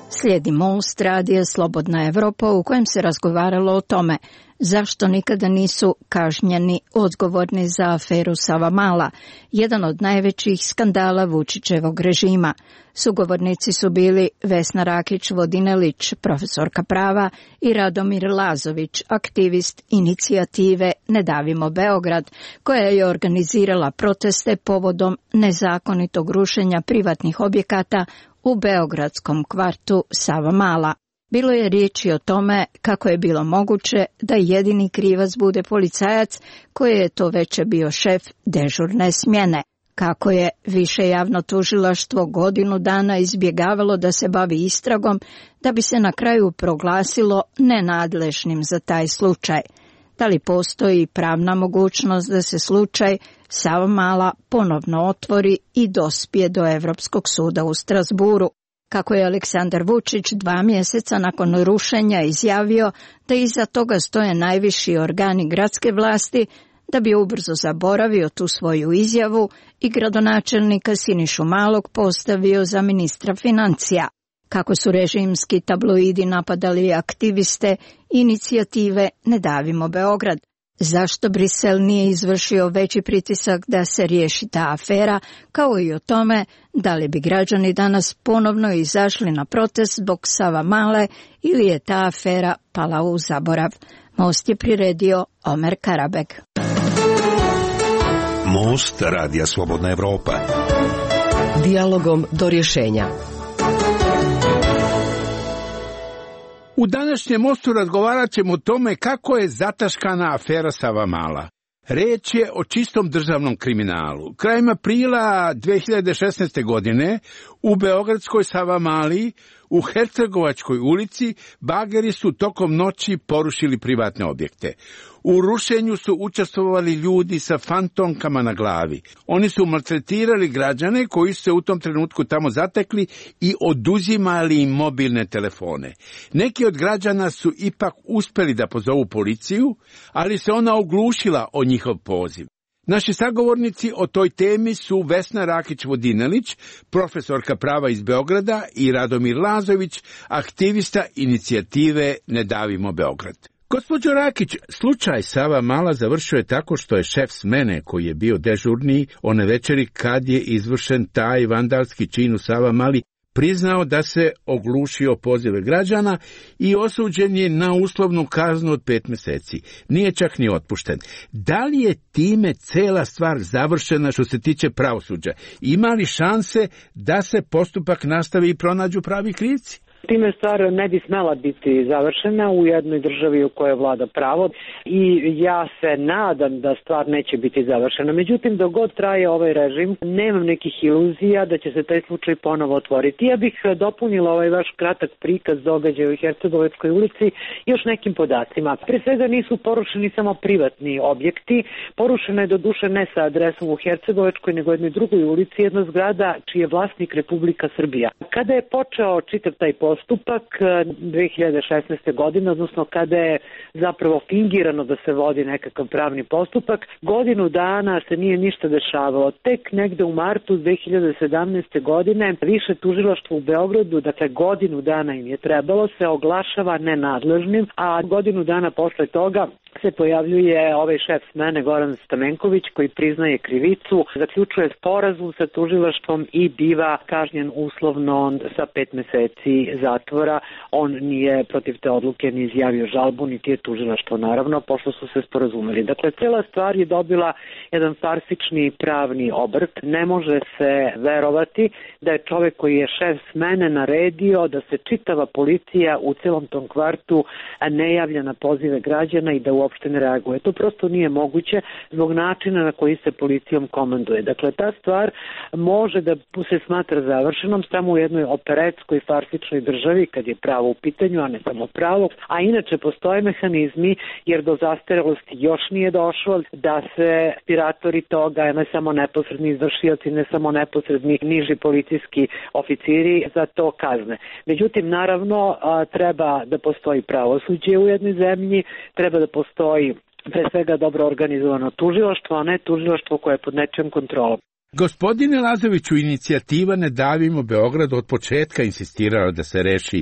Slijedi Most radija Slobodna Evropa u kojem se razgovaralo o tome zašto nikada nisu kažnjeni odgovorni za aferu Savamala, jedan od najvećih skandala Vučićevog režima. Sugovornici su bili Vesna Rakić-Vodinelić, profesorka prava, i Radomir Lazović, aktivist inicijative Ne davimo Beograd, koja je organizirala proteste povodom nezakonitog rušenja privatnih objekata u beogradskom kvartu Savamala. Bilo je riječi o tome kako je bilo moguće da jedini krivac bude policajac koji je to veće bio šef dežurne smjene. Kako je više javno tužilaštvo godinu dana izbjegavalo da se bavi istragom da bi se na kraju proglasilo nenadležnim za taj slučaj. Da li postoji pravna mogućnost da se slučaj Savamala ponovno otvori i dospije do Evropskog suda u Strasburu? Kako je Aleksandar Vučić dva mjeseca nakon rušenja izjavio da iza toga stoje najviši organi gradske vlasti, da bi ubrzo zaboravio tu svoju izjavu i gradonačelnika Sinišu Malog postavio za ministra financija. Kako su režimski tabloidi napadali aktiviste inicijative Ne davimo Beograd. Zašto Brisel nije izvršio veći pritisak da se riješi ta afera, kao i o tome da li bi građani danas ponovno izašli na protest zbog Savamale ili je ta afera pala u zaborav. Most je priredio Omer Karabeg. Most radija Slobodna Evropa. Dijalogom do rješenja. U današnjem mostu razgovarat ćemo o tome kako je zataškana afera Savamala. Reč je o čistom državnom kriminalu. Krajem aprila dve hiljade šesnaeste. godine u beogradskoj Savamali u Hercegovačkoj ulici bageri su tokom noći porušili privatne objekte. U rušenju su učestvovali ljudi sa fantomkama na glavi. Oni su maltretirali građane koji su se u tom trenutku tamo zatekli i oduzimali im mobilne telefone. Neki od građana su ipak uspjeli da pozovu policiju, ali se ona oglušila o njihov poziv. Naši sagovornici o toj temi su Vesna Rakić-Vodinelić, profesorka prava iz Beograda, i Radomir Lazović, aktivista inicijative Ne davimo Beograd. Gospođo Rakić, slučaj Savamala završio je tako što je šef smene, koji je bio dežurni one večeri kad je izvršen taj vandalski čin u Savamali, priznao da se oglušio pozive građana i osuđen je na uslovnu kaznu od pet mjeseci. Nije čak ni otpušten. Da li je time cela stvar završena što se tiče pravosuđa? Ima li šanse da se postupak nastavi i pronađu pravi krivci? Time stvar ne bi smela biti završena u jednoj državi u kojoj vlada pravo i ja se nadam da stvar neće biti završena. Međutim, dok god traje ovaj režim, nemam nekih iluzija da će se taj slučaj ponovo otvoriti. Ja bih dopunila ovaj vaš kratak prikaz događaja u Hercegovačkoj ulici još nekim podacima. Pre svega nisu porušeni samo privatni objekti, porušena je do duše ne sa adresom u Hercegovačkoj, nego jednoj drugoj ulici, jedna zgrada čiji je vlasnik Republika Srbija. Kada je počeo čitav taj postupak dve hiljade šesnaeste. godine, odnosno kada je zapravo fingirano da se vodi nekakav pravni postupak, godinu dana se nije ništa dešavalo. Tek negde u martu dve hiljade sedamnaeste. godine više tužilaštvo u Beogradu, dakle godinu dana im je trebalo, se oglašava nenadležnim, a godinu dana posle toga se pojavljuje ovaj šef smene Goran Stamenković koji priznaje krivicu, zaključuje sporazum sa tužilaštvom i biva kažnjen uslovno sa pet mjeseci zatvora. On nije protiv te odluke ni izjavio žalbu, niti je tužilaštvo naravno, pošto su se sporazumeli. Dakle, cijela stvar je dobila jedan farsični pravni obrt. Ne može se verovati da je čovjek koji je šef smene naredio da se čitava policija u celom tom kvartu ne javlja na pozive građana i da uopšte ne reaguje. To prosto nije moguće zbog načina na koji se policijom komanduje. Dakle, ta stvar može da se smatra završenom samo u jednoj operetskoj farsičnoj državi kad je pravo u pitanju, a ne samo pravo. A inače postoje mehanizmi, jer do zastarelosti još nije došlo, da se inspiratori toga, ne samo neposredni izvršioci, ne samo neposredni niži policijski oficiri za to kazne. Međutim, naravno, treba da postoji pravosuđe u jednoj zemlji, treba da postoji pre svega dobro organizovano tužilaštvo, a ne tužilaštvo koje je pod nečijom kontrolom. Gospodine Lazoviću, inicijativa Ne davimo Beograd od početka insistirala da se reši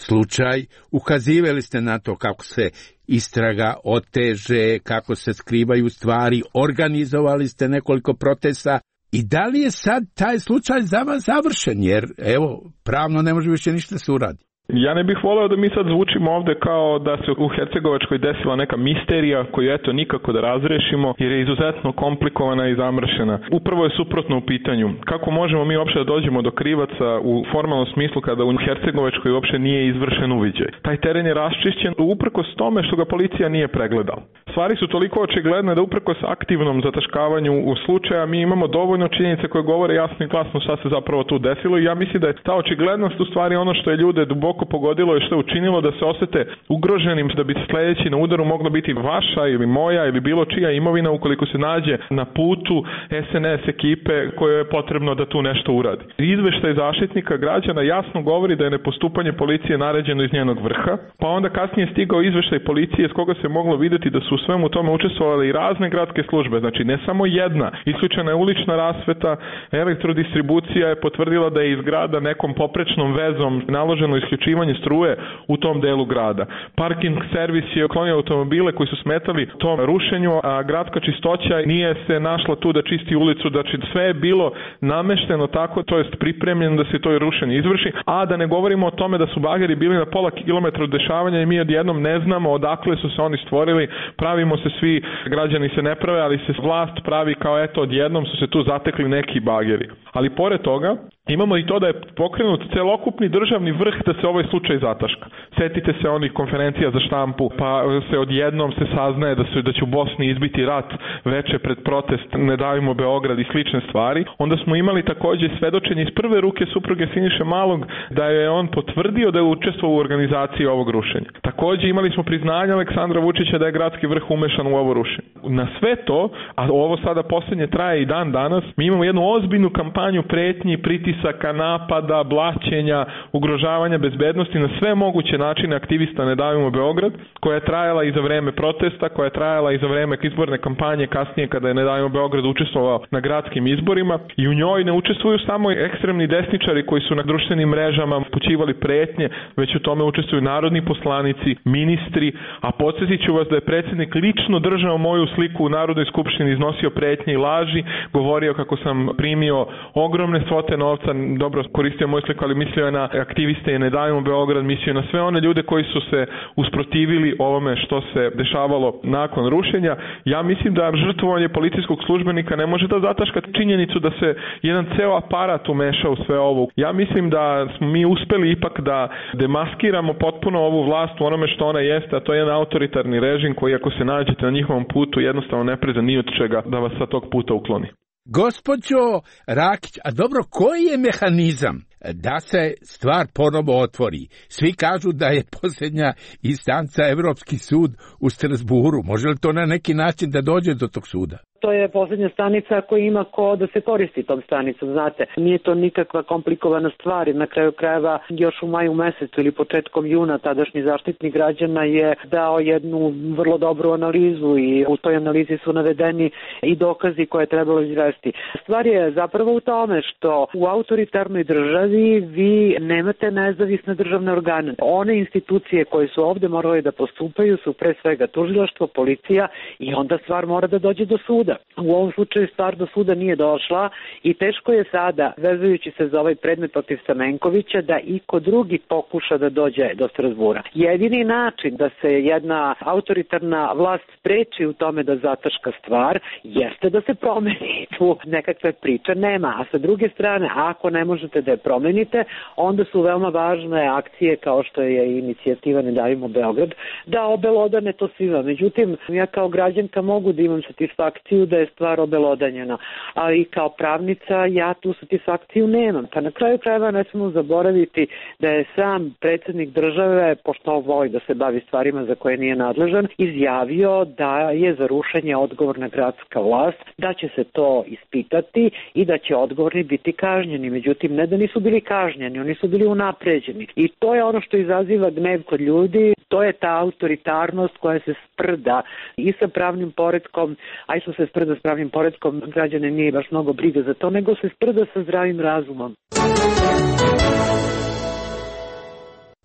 slučaj. Ukazivali ste na to kako se istraga oteže, kako se skrivaju stvari, organizovali ste nekoliko protesta. I da li je sad taj slučaj za vas završen? Jer, evo, pravno ne može više ništa se uradi. Ja ne bih voleo da mi sad zvučimo ovde kao da se u Hercegovačkoj desila neka misterija koju eto nikako da razrešimo jer je izuzetno komplikovana i zamršena. Upravo je suprotno u pitanju. Kako možemo mi uopšte da dođemo do krivaca u formalnom smislu kada u Hercegovačkoj uopšte nije izvršen uviđaj? Taj teren je raščišćen uprkos tome što ga policija nije pregledala. Stvari su toliko očigledne da uprkos aktivnom zataškavanju u slučaja mi imamo dovoljno činjenice koje govore jasno i glasno šta se zapravo tu desilo i ja mislim da je ta očiglednost u stvari ono što je ljude duboko pogodilo i što je učinilo da se osete ugroženim, da bi sledeći na udaru mogla biti vaša ili moja ili bilo čija imovina ukoliko se nađe na putu es en es ekipe koje je potrebno da tu nešto uradi. Izveštaj Zaštitnika građana jasno govori da je nepostupanje policije naređeno iz njenog vrha, pa onda kasnije stigao izveštaj policije s koga se moglo videti da su u svemu tome učestvovale i razne gradske službe, znači ne samo jedna, isključena je ulična rasveta, elektrodistribucija je potvrdila da je iz grada nekom poprečnom vezom naloženo isključivanje struje u tom delu grada. Parking servis je uklonio automobile koji su smetali tom rušenju, a gradska čistoća nije se našla tu da čisti ulicu, znači sve je bilo namešteno tako, to jest pripremljeno da se to rušenje izvrši, a da ne govorimo o tome da su bageri bili na pola kilometra od dešavanja i mi odjednom ne znamo odakle su se oni stvorili, pravimo se svi, građani se ne prave, ali se vlast pravi kao eto odjednom su se tu zatekli neki bageri. Ali pored toga, imamo i to da je pokrenut celokupni državni vrh da se ovaj slučaj zataška. Setite se onih konferencija za štampu, pa se odjednom se saznaje da, se, da će u Bosni izbiti rat veče pred protest Ne davimo Beograd i slične stvari. Onda smo imali takođe svedočenje iz prve ruke supruge Siniše Malog da je on potvrdio da je učestvovao u organizaciji ovog rušenja. Takođe imali smo priznanje Aleksandra Vučića da je gradski vrh umešan u ovo rušenje. Na sve to, a ovo sada poslednje traje i dan danas, mi imamo jednu ozbiljnu kampanju pretnji, pritisaka, napada, blaćenja, ugrožavanja bezbednosti na sve moguće načine aktivista Ne davimo Beograd, koja je trajala i za vreme protesta, koja je trajala i za vreme izborne kampanje kasnije kada je Ne davimo Beograd učestvovao na gradskim izborima i u njoj ne učestvuju samo ekstremni desničari koji su na društvenim mrežama pućivali pretnje, već u tome učestvuju narodni poslanici, ministri, a podsjetit ću vas da je predsjednik lično držao moju sliku u Narodnoj skupštini, iznosio pretnje i laži, govorio kako sam primio ogromne svote novca, dobro koristio moju sliku, ali mislio je na aktiviste Ne davimo Beograd, mislio na sve one ljude koji su se usprotivili ovome što se dešavalo nakon rušenja. Ja mislim da žrtvovanje policijskog službenika ne može da zataška činjenicu da se jedan ceo aparat umeša u sve ovo. Ja mislim da smo mi uspeli ipak da demaskiramo potpuno ovu vlast u onome što ona jeste, a to je jedan autoritarni režim koji ako se nađete na njihovom putu jednostavno ne preza ni od čega da vas sa tog puta ukloni. Gospođo Rakić, a dobro, koji je mehanizam da se stvar ponovo otvori? Svi kažu da je posljednja instanca Evropski sud u Strasburu. Može li to na neki način da dođe do tog suda? To je posljednja stanica koja ima ko da se koristi tom stanicom, znate. Nije to nikakva komplikovana stvar i na kraju krajeva još u maju mesecu ili početkom juna tadašnji Zaštitnik građana je dao jednu vrlo dobru analizu i u toj analizi su navedeni i dokazi koje je trebalo izvesti. Stvar je zapravo u tome što u autoritarnoj državi vi nemate nezavisne državne organe. One institucije koje su ovde morale da postupaju su pre svega tužilaštvo, policija i onda stvar mora da dođe do suda. U ovom slučaju stvar do suda nije došla i teško je sada, vezujući se za ovaj predmet protiv Stamenkovića, da iko drugi pokuša da dođe do Strasbura. Jedini način da se jedna autoritarna vlast spreči u tome da zataška stvar jeste da se promeni. Tu nekakve priče nema, a sa druge strane, ako ne možete da je promenite, onda su veoma važne akcije kao što je inicijativa Ne davimo Beograd, da obelodane to svima. Međutim, ja kao građanka mogu da imam satisfakciju da je stvar obelodanjena, a i kao pravnica ja tu satisfakciju nemam. Pa na kraju krajeva ne smemo zaboraviti da je sam predsjednik države, pošto voli da se bavi stvarima za koje nije nadležan, izjavio da je za rušenje odgovorna gradska vlast, da će se to ispitati i da će odgovorni biti kažnjeni. Međutim, ne da nisu bili kažnjeni, oni su bili unapređeni. I to je ono što izaziva gnev kod ljudi. To je ta autoritarnost koja se sprda i sa pravnim poretkom, a i što se sprda s pravnim poretkom, građane nije baš mnogo briga za to, nego se sprda sa zdravim razumom.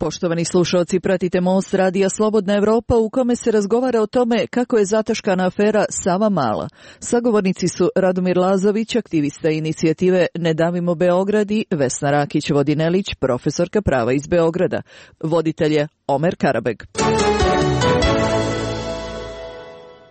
Poštovani slušalci, pratite Most radija Slobodna Evropa u kome se razgovara o tome kako je zataškana afera Savamala. Sagovornici su Radomir Lazović, aktivista inicijative Ne davimo Beograd i Vesna Rakić-Vodinelić, profesorka prava iz Beograda. Voditelj je Omer Karabeg.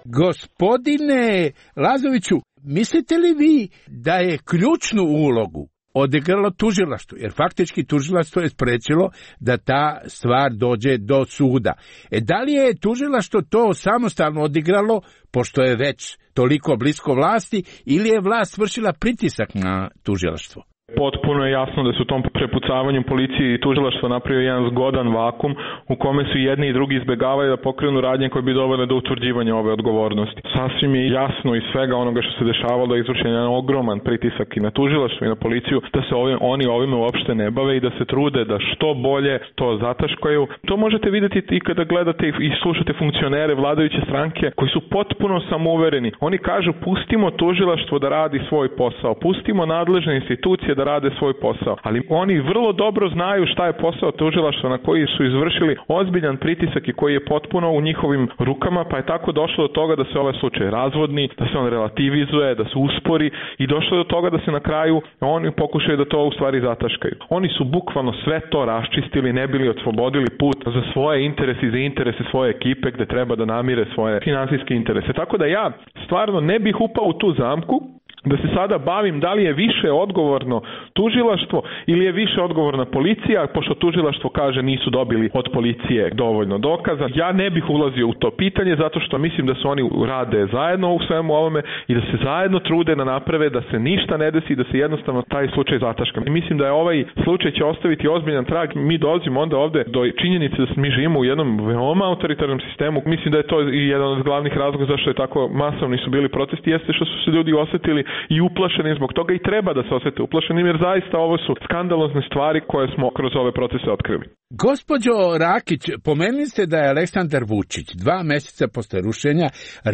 Gospodine Lazoviću, mislite li vi da je ključnu ulogu odigralo tužilaštvo, jer faktički tužilaštvo je sprečilo da ta stvar dođe do suda. E da li je tužilaštvo to samostalno odigralo, pošto je već toliko blisko vlasti, ili je vlast vršila pritisak na tužilaštvo? Potpuno je jasno da su u tom prepucavanju policije i tužilaštvo napravio jedan zgodan vakum u kome su jedni i drugi izbegavaju da pokrenu radnje koje bi dovele do utvrđivanja ove odgovornosti. Sasvim je jasno iz svega onoga što se dešavalo da je izvršen jedan ogroman pritisak i na tužilaštvo i na policiju da se ovim, oni ovime uopšte ne bave i da se trude da što bolje to zataškaju. To možete vidjeti i kada gledate i slušate funkcionere vladajuće stranke koji su potpuno samouvereni. Oni kažu pustimo tužilaštvo da radi svoj posao, pustimo nadležne institucije da rade svoj posao. Ali oni vrlo dobro znaju šta je posao tužilaštva na koji su izvršili ozbiljan pritisak i koji je potpuno u njihovim rukama, pa je tako došlo do toga da se ovaj slučaj razvodni, da se on relativizuje, da se uspori i došlo do toga da se na kraju oni pokušaju da to u stvari zataškaju. Oni su bukvalno sve to raščistili, ne bili oslobodili put za svoje interese i za interese svoje ekipe gde treba da namire svoje finansijske interese. Tako da ja stvarno ne bih upao u tu zamku da se sada bavim da li je više odgovorno tužilaštvo ili je više odgovorna policija, pošto tužilaštvo kaže nisu dobili od policije dovoljno dokaza. Ja ne bih ulazio u to pitanje zato što mislim da su oni rade zajedno u svemu ovome i da se zajedno trude na naprave da se ništa ne desi i da se jednostavno taj slučaj zataška. I mislim da je ovaj slučaj će ostaviti ozbiljan trag. Mi dolazimo onda ovde do činjenice da mi živimo u jednom veoma autoritarnom sistemu. Mislim da je to i jedan od glavnih razloga zašto je tako masovni su bili protesti, jeste što su se ljudi osetili i uplašeni zbog toga i treba da se osete uplašeni, jer zaista ovo su skandalozne stvari koje smo kroz ove procese otkrili. Gospođo Rakić, pomenuli ste da je Aleksandar Vučić dva meseca posle rušenja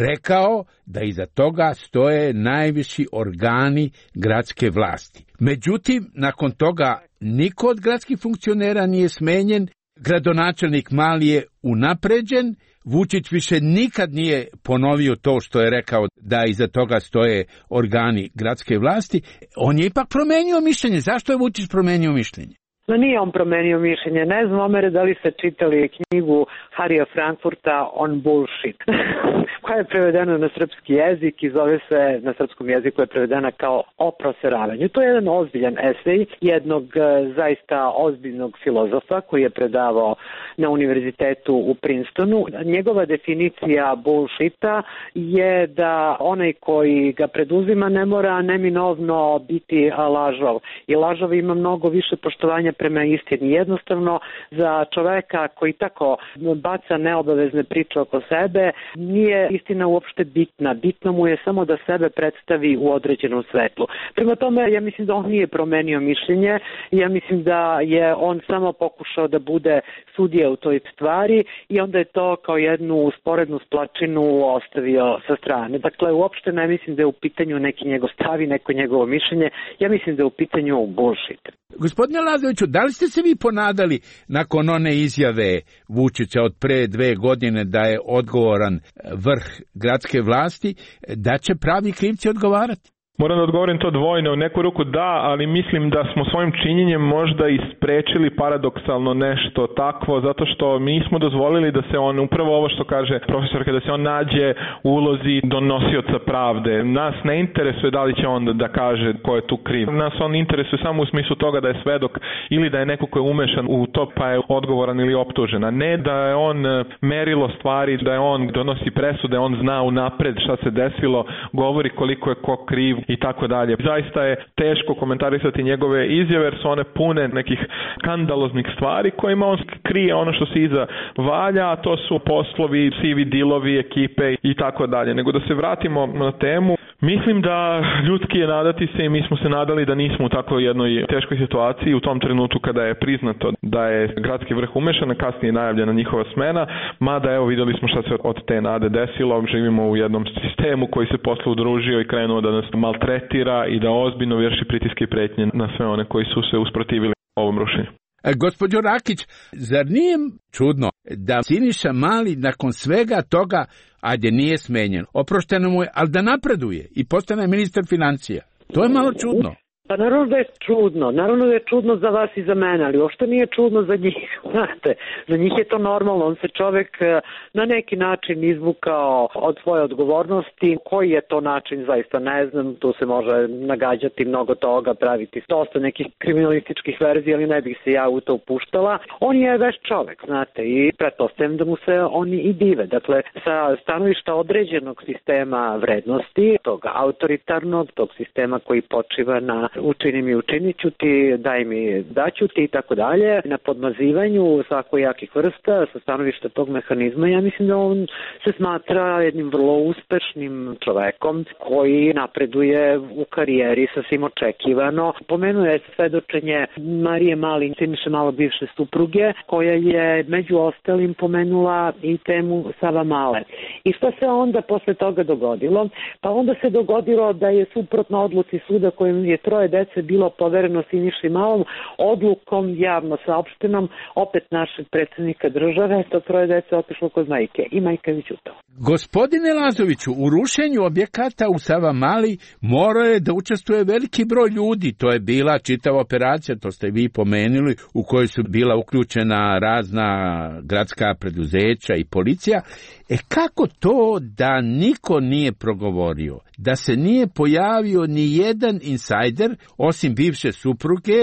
rekao da iza toga stoje najviši organi gradske vlasti. Međutim, nakon toga niko od gradskih funkcionera nije smenjen, gradonačelnik Mali je unapređen, Vučić više nikad nije ponovio to što je rekao da iza toga stoje organi gradske vlasti. On je ipak promenio mišljenje. Zašto je Vučić promenio mišljenje? No nije on promenio mišljenje. Ne znam, Omere, da li ste čitali knjigu Harija Frankfurta On Bullshit, koja je prevedena na srpski jezik i zove se, na srpskom jeziku je prevedena kao O proseravanju. To je jedan ozbiljan esej jednog zaista ozbiljnog filozofa koji je predavao na univerzitetu u Princetonu. Njegova definicija bullshita je da onaj koji ga preduzima ne mora neminovno biti lažov. I lažov ima mnogo više poštovanja prema istini. Jednostavno, za čoveka koji tako baca neobavezne priče oko sebe, nije istina uopšte bitna. Bitno mu je samo da sebe predstavi u određenom svetlu. Prema tome, ja mislim da on nije promenio mišljenje. Ja mislim da je on samo pokušao da bude sudija u toj stvari i onda je to kao jednu sporednu splačinu ostavio sa strane. Dakle, uopšte ne mislim da je u pitanju neki njegov stav i neko njegovo mišljenje. Ja mislim da je u pitanju bullshit. Gospodine Lazoviću, da li ste se vi ponadali nakon one izjave Vučića od pre dve godine da je odgovoran vrh gradske vlasti, da će pravi krivci odgovarati? Moram da odgovorim to dvojno. U neku ruku da, ali mislim da smo svojim činjenjem možda i sprečili paradoksalno nešto takvo, zato što mi smo dozvolili da se on, upravo ovo što kaže profesorka, da se on nađe u ulozi donosioca pravde. Nas ne interesuje da li će on da kaže ko je tu kriv. Nas on interesuje samo u smislu toga da je svedok ili da je neko ko je umešan u to pa je odgovoran ili optužen, a ne da je on merilo stvari, da je on donosi presude, on zna unapred šta se desilo, govori koliko je ko kriv i tako dalje. Zaista je teško komentarisati njegove izjave jer su one pune nekih skandaloznih stvari kojima on krije ono što se iza valja, a to su poslovi, sivi dilovi, ekipe i tako dalje. Nego da se vratimo na temu, Mislim da ljudski je nadati se i mi smo se nadali da nismo u tako jednoj teškoj situaciji u tom trenutku kada je priznato da je gradski vrh umešan, a kasnije je najavljena njihova smena, mada evo videli smo šta se od te nade desilo, živimo u jednom sistemu koji se posle udružio i krenuo da nas maltretira i da ozbiljno vrši pritiske i pretnje na sve one koji su se usprotivili ovom rušenju. E, gospođo Rakić, zar nije čudno da Siniša Mali nakon svega toga, ajde nije smenjen, oprošteno mu je, ali da napreduje i postane ministar financija? To je malo čudno. Pa naravno da je čudno, naravno da je čudno za vas i za mene, ali uopšte nije čudno za njih, znate, za njih je to normalno, on se čovjek na neki način izvukao od svoje odgovornosti, koji je to način zaista ne znam, tu se može nagađati mnogo toga, praviti dosta nekih kriminalističkih verzija, ali ne bih se ja u to upuštala. On je veš čovjek, znate, i pretpostavljam da mu se oni i dive, dakle, sa stanovišta određenog sistema vrednosti, tog autoritarnog, tog sistema koji počiva na učini mi, učinit ću ti, daj mi, daću ti i tako dalje, na podmazivanju svakojakih vrsta sa stanovišta tog mehanizma, ja mislim da on se smatra jednim vrlo uspešnim čovekom koji napreduje u karijeri sasvim očekivano. Pomenuje se svedočenje Marije Mali, Siniše Malo bivše supruge, koja je među ostalim pomenula i temu Savamale. I šta se onda posle toga dogodilo? Pa onda se dogodilo da je suprotno odluci suda kojim je troje dece bilo povereno Siniši Malom, odlukom javno saopštenom opet našeg predsjednika države, to troje dece otišlo kod majke i majka je ćutala. Gospodine Lazoviću, u rušenju objekata u Savamali morao je da učestvuje veliki broj ljudi. To je bila čitava operacija, to ste vi pomenuli, u kojoj su bila uključena razna gradska preduzeća i policija. E kako to da niko nije progovorio, da se nije pojavio ni jedan insajder, osim bivše supruge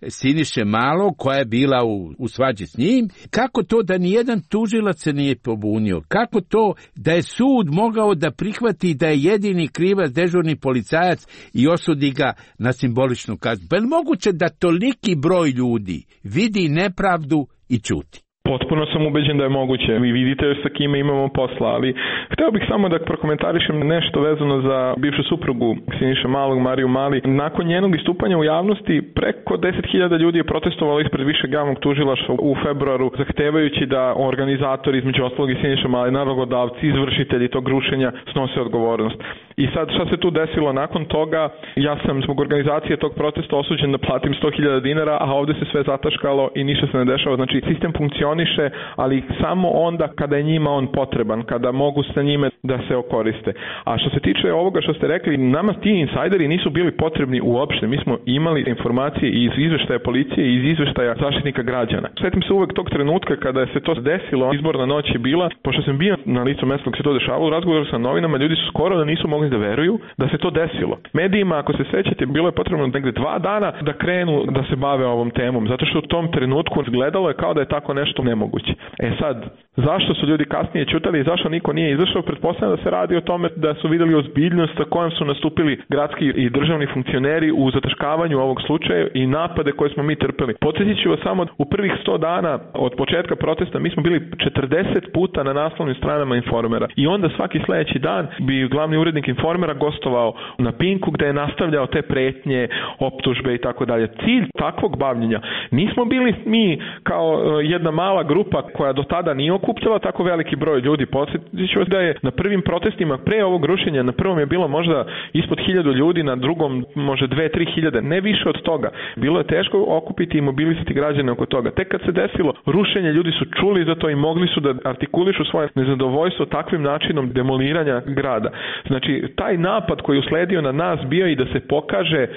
Siniše Malo, koja je bila u, u svađi s njim? Kako to da ni jedan tužilac se nije pobunio? Kako to da je sud mogao da prihvati da je jedini krivac dežurni policajac i osudi ga na simboličnu kaznu? Pa je moguće da toliki broj ljudi vidi nepravdu i ćuti? Potpuno sam ubeđen da je moguće. Vi vidite sa kime imamo posla, ali hteo bih samo da prokomentarišem nešto vezano za bivšu suprugu Siniše Malog, Mariju Mali. Nakon njenog istupanja u javnosti, preko deset hiljada ljudi je protestovalo ispred višeg javnog tužilaštva u februaru, zahtevajući da organizatori, između ostalog i Siniše Mali, nalogodavci, izvršitelji tog rušenja snose odgovornost. I sad šta se tu desilo nakon toga? Ja sam zbog organizacije tog protesta osuđen da platim sto hiljada dinara, a ovde se sve zataškalo i ništa se ne dešava. Znači, sistem funkcioniše, ali samo onda kada je njima on potreban, kada mogu sa njime da se okoriste. A što se tiče ovoga što ste rekli, nama ti insajderi nisu bili potrebni uopšte. Mi smo imali informacije iz izveštaja policije i iz izveštaja zaštitnika građana. Setim se uvek tog trenutka kada se to desilo, izborna noć je bila, pošto sam bio na licu mesta dok se to dešavalo, u razgovoru sa novinama, ljudi su skoro da nisu mogli da veruju da se to desilo. Medijima, ako se sećate, bilo je potrebno negde dva dana da krenu da se bave ovom temom, zato što u tom trenutku izgledalo je kao da je tako nešto nemoguće. E sad, zašto su ljudi kasnije ćutali i zašto niko nije izašao? Pretpostavljam da se radi o tome da su videli ozbiljnost sa kojom su nastupili gradski i državni funkcioneri u zataškavanju ovog slučaja i napade koje smo mi trpeli. Podsjetit ću vas samo, u prvih sto dana od početka protesta mi smo bili četrdeset puta na naslovnim stranama Informera i onda svaki sledeći dan bi glavni urednik Informera gostovao na Pinku gde je nastavljao te pretnje, optužbe i tako dalje. Cilj takvog bavljenja nismo bili mi kao jedna mala grupa koja do tada nije okupljala tako veliki broj ljudi. Podsjetit ću vas da je na prvim protestima pre ovog rušenja, na prvom je bilo možda ispod hiljadu ljudi, na drugom može dve, tri hiljade, ne više od toga. Bilo je teško okupiti i mobilisati građane oko toga. Tek kad se desilo rušenje, ljudi su čuli za to i mogli su da artikulišu svoje nezadovoljstvo takvim načinom demoliranja grada. Znači, taj napad koji je usledio na nas bio i da se pokaže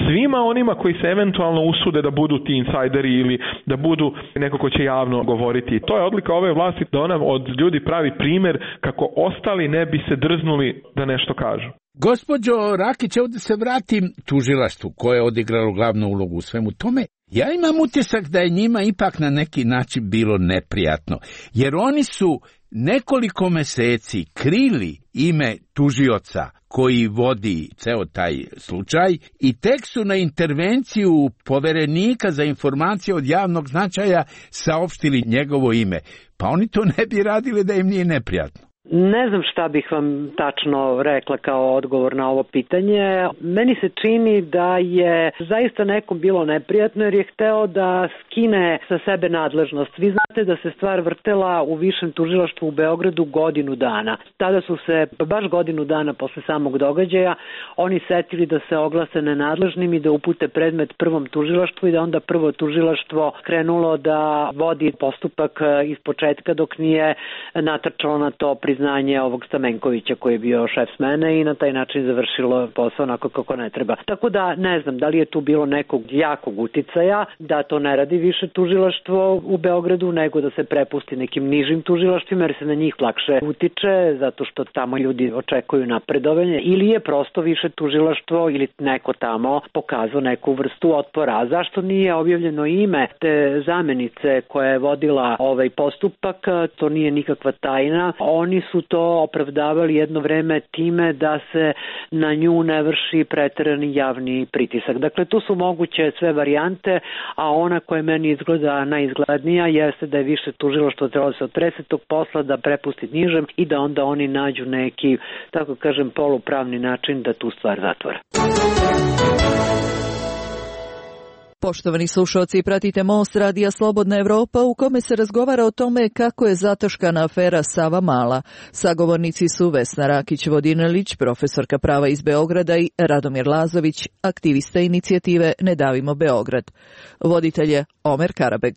svima onima koji se eventualno usude da budu ti insajderi ili da budu neko ko će javno govoriti. To je odlika ove vlasti, da ona od ljudi pravi primer kako ostali ne bi se drznuli da nešto kažu. Gospođo Rakić, ovdje se vratim tužilaštvu koje je odigralo glavnu ulogu u svemu tome. Ja imam utisak da je njima ipak na neki način bilo neprijatno, jer oni su nekoliko meseci krili ime tužioca koji vodi ceo taj slučaj i tek su na intervenciju poverenika za informacije od javnog značaja saopštili njegovo ime. Pa oni to ne bi radili da im nije neprijatno. Ne znam šta bih vam tačno rekla kao odgovor na ovo pitanje. Meni se čini da je zaista nekom bilo neprijatno jer je hteo da skine sa sebe nadležnost. Vi znate da se stvar vrtela u Višem tužilaštvu u Beogradu godinu dana. Tada su se, baš godinu dana posle samog događaja, oni setili da se oglase nenadležnim i da upute predmet prvom tužilaštvu i da onda prvo tužilaštvo krenulo da vodi postupak iz početka dok nije natrčalo na to priznanje ovog Stamenkovića koji je bio šef smene i na taj način završilo posao onako kako ne treba. Tako da ne znam da li je tu bilo nekog jakog uticaja da to ne radi više tužilaštvo u Beogradu nego da se prepusti nekim nižim tužilaštvima jer se na njih lakše utiče zato što tamo ljudi očekuju napredovanje ili je prosto više tužilaštvo ili neko tamo pokazao neku vrstu otpora. A zašto nije objavljeno ime te zamenice koja je vodila ovaj postupak? To nije nikakva tajna. Oni su to opravdavali jedno vreme time da se na nju ne vrši preterani javni pritisak. Dakle, tu su moguće sve varijante, a ona koja meni izgleda najizglednija jeste da je više tužilaštvo trebalo se otrese tog posla, da prepusti nižem i da onda oni nađu neki, tako kažem, polupravni način da tu stvar zatvore. Poštovani slušalci, pratite Most radija Slobodna Evropa u kome se razgovara o tome kako je zataškana afera Sava Mala. Sagovornici su Vesna Rakić-Vodinelić, profesorka prava iz Beograda i Radomir Lazović, aktivista inicijative Ne davimo Beograd. Voditelj je Omer Karabeg.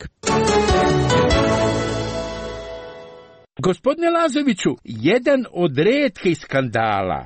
Gospodine Lazoviću, jedan od retkih skandala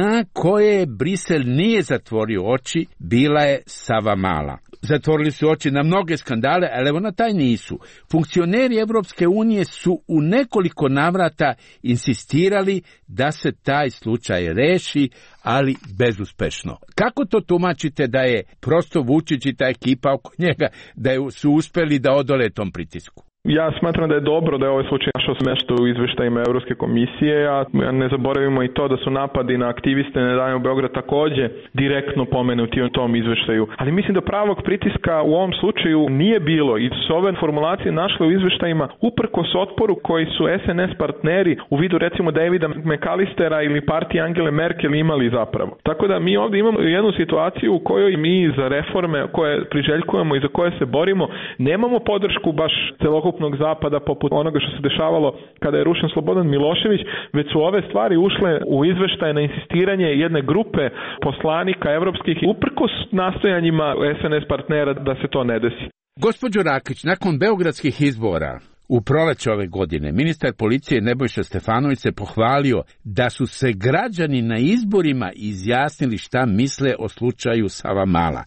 na koje Brisel nije zatvorio oči bila je Sava Mala. Zatvorili su oči na mnoge skandale, ali evo na taj nisu. Funkcioneri Evropske unije su u nekoliko navrata insistirali da se taj slučaj reši, ali bezuspešno. Kako to tumačite da je prosto Vučić i ta ekipa oko njega, da su uspeli da odole tom pritisku? Ja smatram da je dobro da je ovaj slučaj našao mesto u izveštajima Evropske komisije, a ne zaboravimo i to da su napadi na aktiviste Ne davimo Beograd takođe direktno pomenuti u tom izveštaju. Ali mislim da pravog pritiska u ovom slučaju nije bilo i su ove formulacije našle u izveštajima uprkos otporu koji su S N S partneri u vidu recimo Davida McAllistera ili partije Angele Merkel imali zapravo. Tako da mi ovdje imamo jednu situaciju u kojoj mi za reforme koje priželjkujemo i za koje se borimo nemamo podršku baš celokupnog zapada poput onoga što se dešavalo kada je rušen Slobodan Milošević, već su ove stvari ušle u izveštaje na insistiranje jedne grupe poslanika evropskih uprkos nastojanjima S N S partnera da se to ne desi. Gospođo Rakić, nakon beogradskih izbora u proleće ove godine, ministar policije Nebojša Stefanović se pohvalio da su se građani na izborima izjasnili šta misle o slučaju Sava Mala.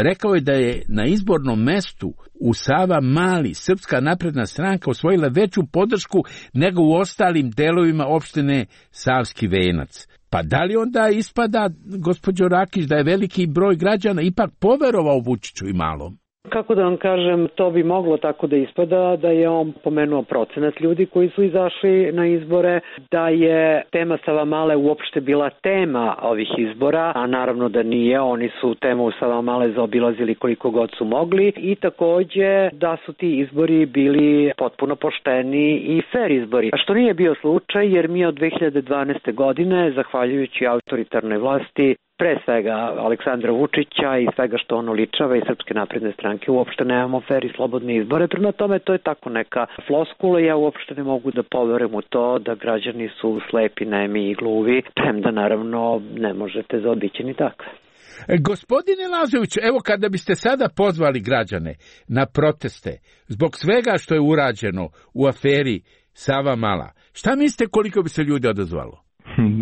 Rekao je da je na izbornom mestu u Sava Mali Srpska napredna stranka osvojila veću podršku nego u ostalim delovima opštine Savski Venac. Pa da li onda ispada, gospođo Rakić, da je veliki broj građana ipak poverovao Vučiću i Malom? Kako da vam kažem, to bi moglo tako da ispada da je on pomenuo procenat ljudi koji su izašli na izbore, da je tema Sava Male uopšte bila tema ovih izbora, a naravno da nije, oni su temu Sava Male zaobilazili koliko god su mogli i takođe da su ti izbori bili potpuno pošteni i fair izbori. A što nije bio slučaj jer mi od dve hiljade dvanaeste. godine, zahvaljujući autoritarnoj vlasti, pre svega Aleksandra Vučića i svega što ono ličava i Srpske napredne stranke, uopšte nemamo fer i slobodne izbore. Prema tome, to je tako neka floskula. Ja uopšte ne mogu da poverujem u to da građani su slepi, nemi i gluvi, premda naravno ne možete zaobići ni takve. Gospodine Lazoviću, evo kada biste sada pozvali građane na proteste zbog svega što je urađeno u aferi Sava Mala, šta mislite koliko bi se ljudi odazvalo?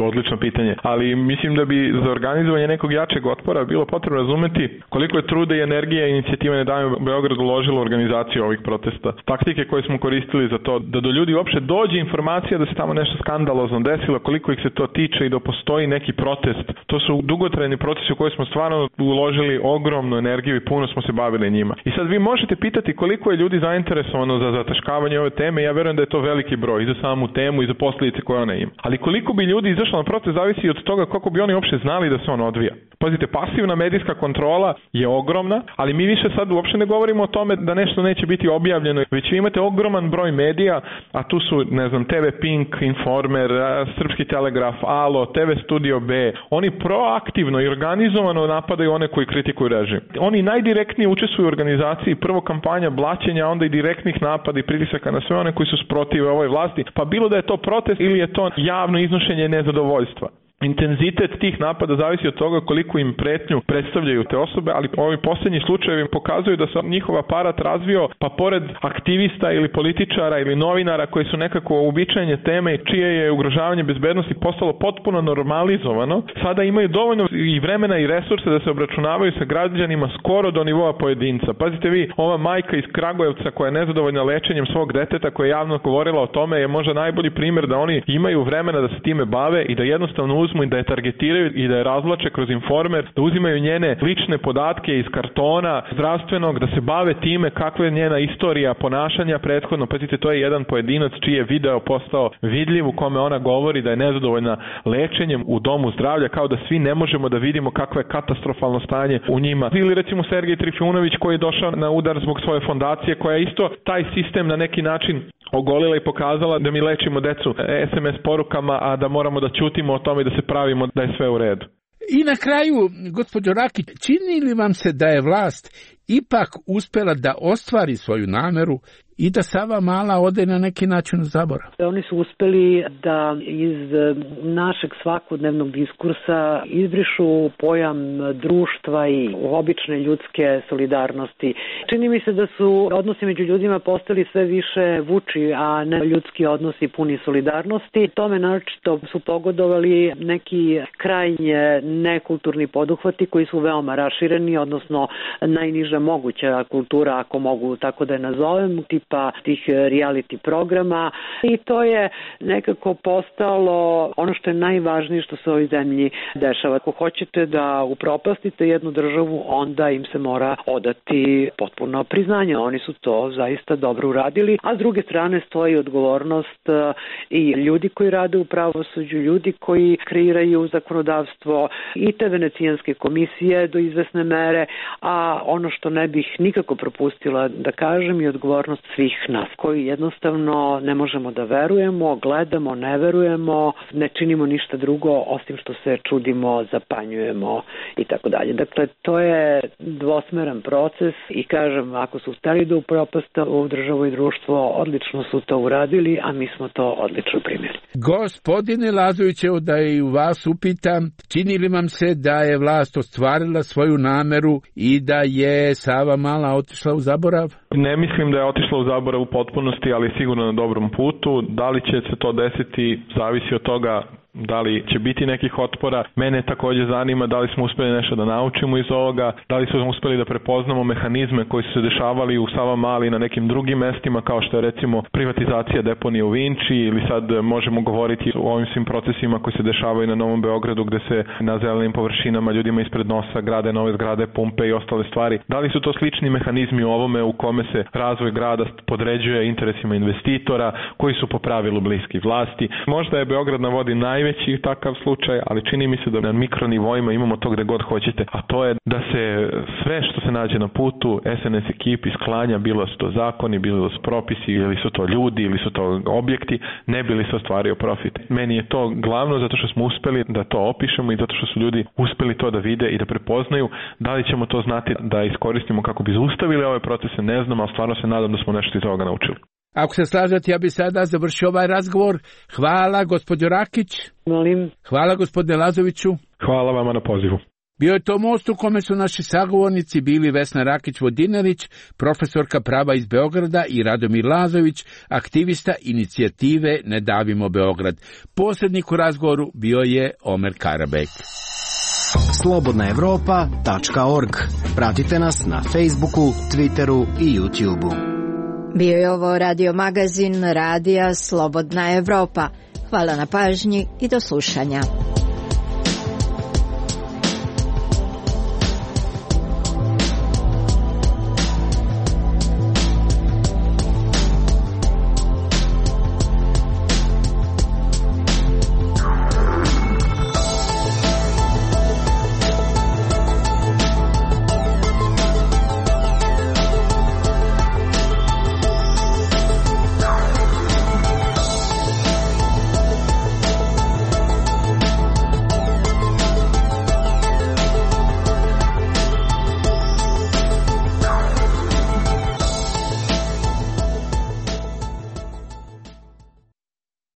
Odlično pitanje, ali mislim da bi za organizovanje nekog jačeg otpora bilo potrebno razumeti koliko je truda i energije inicijativa Ne davimo Beograd uložila u organizaciju ovih protesta. Taktike koje smo koristili za to da do ljudi uopšte dođe informacija da se tamo nešto skandalozno desilo, koliko ih se to tiče i da postoji neki protest. To su dugotrajni procesi u koje smo stvarno uložili ogromnu energiju i puno smo se bavili njima. I sad vi možete pitati koliko je ljudi zainteresovano za zataškavanje ove teme. Ja verujem da je to veliki broj i za samu temu i za posljedice koje ona ima. Ali koliko bi ljudi izašlo na protest zavisi od toga kako bi oni uopšte znali da se on odvija. Pazite, pasivna medijska kontrola je ogromna, ali mi više sad uopšte ne govorimo o tome da nešto neće biti objavljeno, već vi imate ogroman broj medija, a tu su, ne znam, te ve Pink, Informer, Srpski telegraf, Alo, te ve Studio B. Oni proaktivno i organizovano napadaju one koji kritikuju režim. Oni najdirektnije učestvuju u organizaciji, prvo kampanja blaćenja, onda i direktnih napada i pritisaka na sve one koji su sprotive ovoj vlasti, pa bilo da je to protest ili je to javno iznošenje nezadovoljstva. Intenzitet tih napada zavisi od toga koliko im pretnju predstavljaju te osobe, ali ovi posljednji slučajevi pokazuju da se njihov aparat razvio, pa pored aktivista ili političara ili novinara koji su nekako uobičajene teme čije je ugrožavanje bezbednosti postalo potpuno normalizovano, sada imaju dovoljno i vremena i resurse da se obračunavaju sa građanima skoro do nivoa pojedinca. Pazite vi, ova majka iz Kragujevca koja je nezadovoljna lečenjem svog deteta, koja je javno govorila o tome, je možda najbolji primjer da oni imaju vremena da se time bave i da jednostavno uzmu i da je targetiraju i da je razvlače kroz Informer, da uzimaju njene lične podatke iz kartona zdravstvenog, da se bave time kakva je njena istorija ponašanja prethodno. Pazite, to je jedan pojedinac čiji je video postao vidljiv u kome ona govori da je nezadovoljna lečenjem u domu zdravlja, kao da svi ne možemo da vidimo kakvo je katastrofalno stanje u njima. Ili recimo Sergej Trifunović koji je došao na udar zbog svoje fondacije koja je isto taj sistem na neki način ogolila i pokazala da mi lečimo decu es em es porukama, a da moramo da ćutimo o tome i da se pravimo da je sve u redu. I na kraju, gospođo Rakić, čini li vam se da je vlast ipak uspela da ostvari svoju nameru i da Savamala ode na neki način u zaborav? Oni su uspeli da iz našeg svakodnevnog diskursa izbrišu pojam društva i obične ljudske solidarnosti. Čini mi se da su odnosi među ljudima postali sve više vuči, a ne ljudski odnosi puni solidarnosti. Tome naročito su pogodovali neki krajnje nekulturni poduhvati koji su veoma rašireni, odnosno najniža moguća kultura, ako mogu tako da je nazovem, tipa tih reality programa, i to je nekako postalo ono što je najvažnije što se u ovoj zemlji dešava. Ako hoćete da upropastite jednu državu, onda im se mora odati potpuno priznanje. Oni su to zaista dobro uradili, a s druge strane stoji odgovornost i ljudi koji rade u pravosuđu, ljudi koji kreiraju zakonodavstvo i te venecijanske komisije do izvesne mere, a ono što ne bih nikako propustila da kažem je odgovornost svih nas koji jednostavno ne možemo da verujemo, gledamo, ne verujemo, ne činimo ništa drugo osim što se čudimo, zapanjujemo i tako dalje. Dakle, to je dvosmeran proces i kažem, ako su hteli da upropasta u državu i društvo, odlično su to uradili, a mi smo to odlično primjeri. Gospodine Lazovićevo, da i u vas upitam, čini li vam se da je vlast ostvarila svoju nameru i da je Savamala otišla u zaborav? Ne mislim da je otišla u zaborav u potpunosti, ali sigurno na dobrom putu. Da li će se to desiti, zavisi od toga da li će biti nekih otpora. Mene također zanima da li smo uspjeli nešto da naučimo iz ovoga, da li smo uspjeli da prepoznamo mehanizme koji su se dešavali u Savamali na nekim drugim mestima, kao što je recimo privatizacija deponije u Vinči, ili sad možemo govoriti o ovim svim procesima koji se dešavaju na Novom Beogradu, gde se na zelenim površinama ljudima ispred nosa grade nove zgrade, pumpe i ostale stvari. Da li su to slični mehanizmi u ovome u kome se razvoj grada podređuje interesima investitora koji su po pravilu bliski vlasti? Možda je Beograd na vodi naj najveći takav slučaj, ali čini mi se da na mikronivoima imamo to gde god hoćete, a to je da se sve što se nađe na putu es en es ekipi sklanja, bilo su to zakoni, bilo su propisi, ili su to ljudi, ili su to objekti, ne bi li se ostvario profit. Meni je to glavno zato što smo uspeli da to opišemo i zato što su ljudi uspeli to da vide i da prepoznaju. Da li ćemo to znati da iskoristimo kako bi zaustavili ove procese, ne znam, ali stvarno se nadam da smo nešto iz ovoga naučili. Ako se slažete, ja bi sada završio ovaj razgovor. Hvala, gospođo Rakić. Molim. Hvala, gospodine Lazoviću. Hvala vama na pozivu. Bio je to most u kome su naši sagovornici bili Vesna Rakić-Vodinelić, profesorka prava iz Beograda, i Radomir Lazović, aktivista inicijative Ne davimo Beograd. Posrednik u razgovoru bio je Omer Karabek. slobodna evropa tačka org. Pratite nas na Facebooku, Twitteru i YouTubeu. Bio je ovo radio magazin Radija Slobodna Evropa. Hvala na pažnji i do slušanja.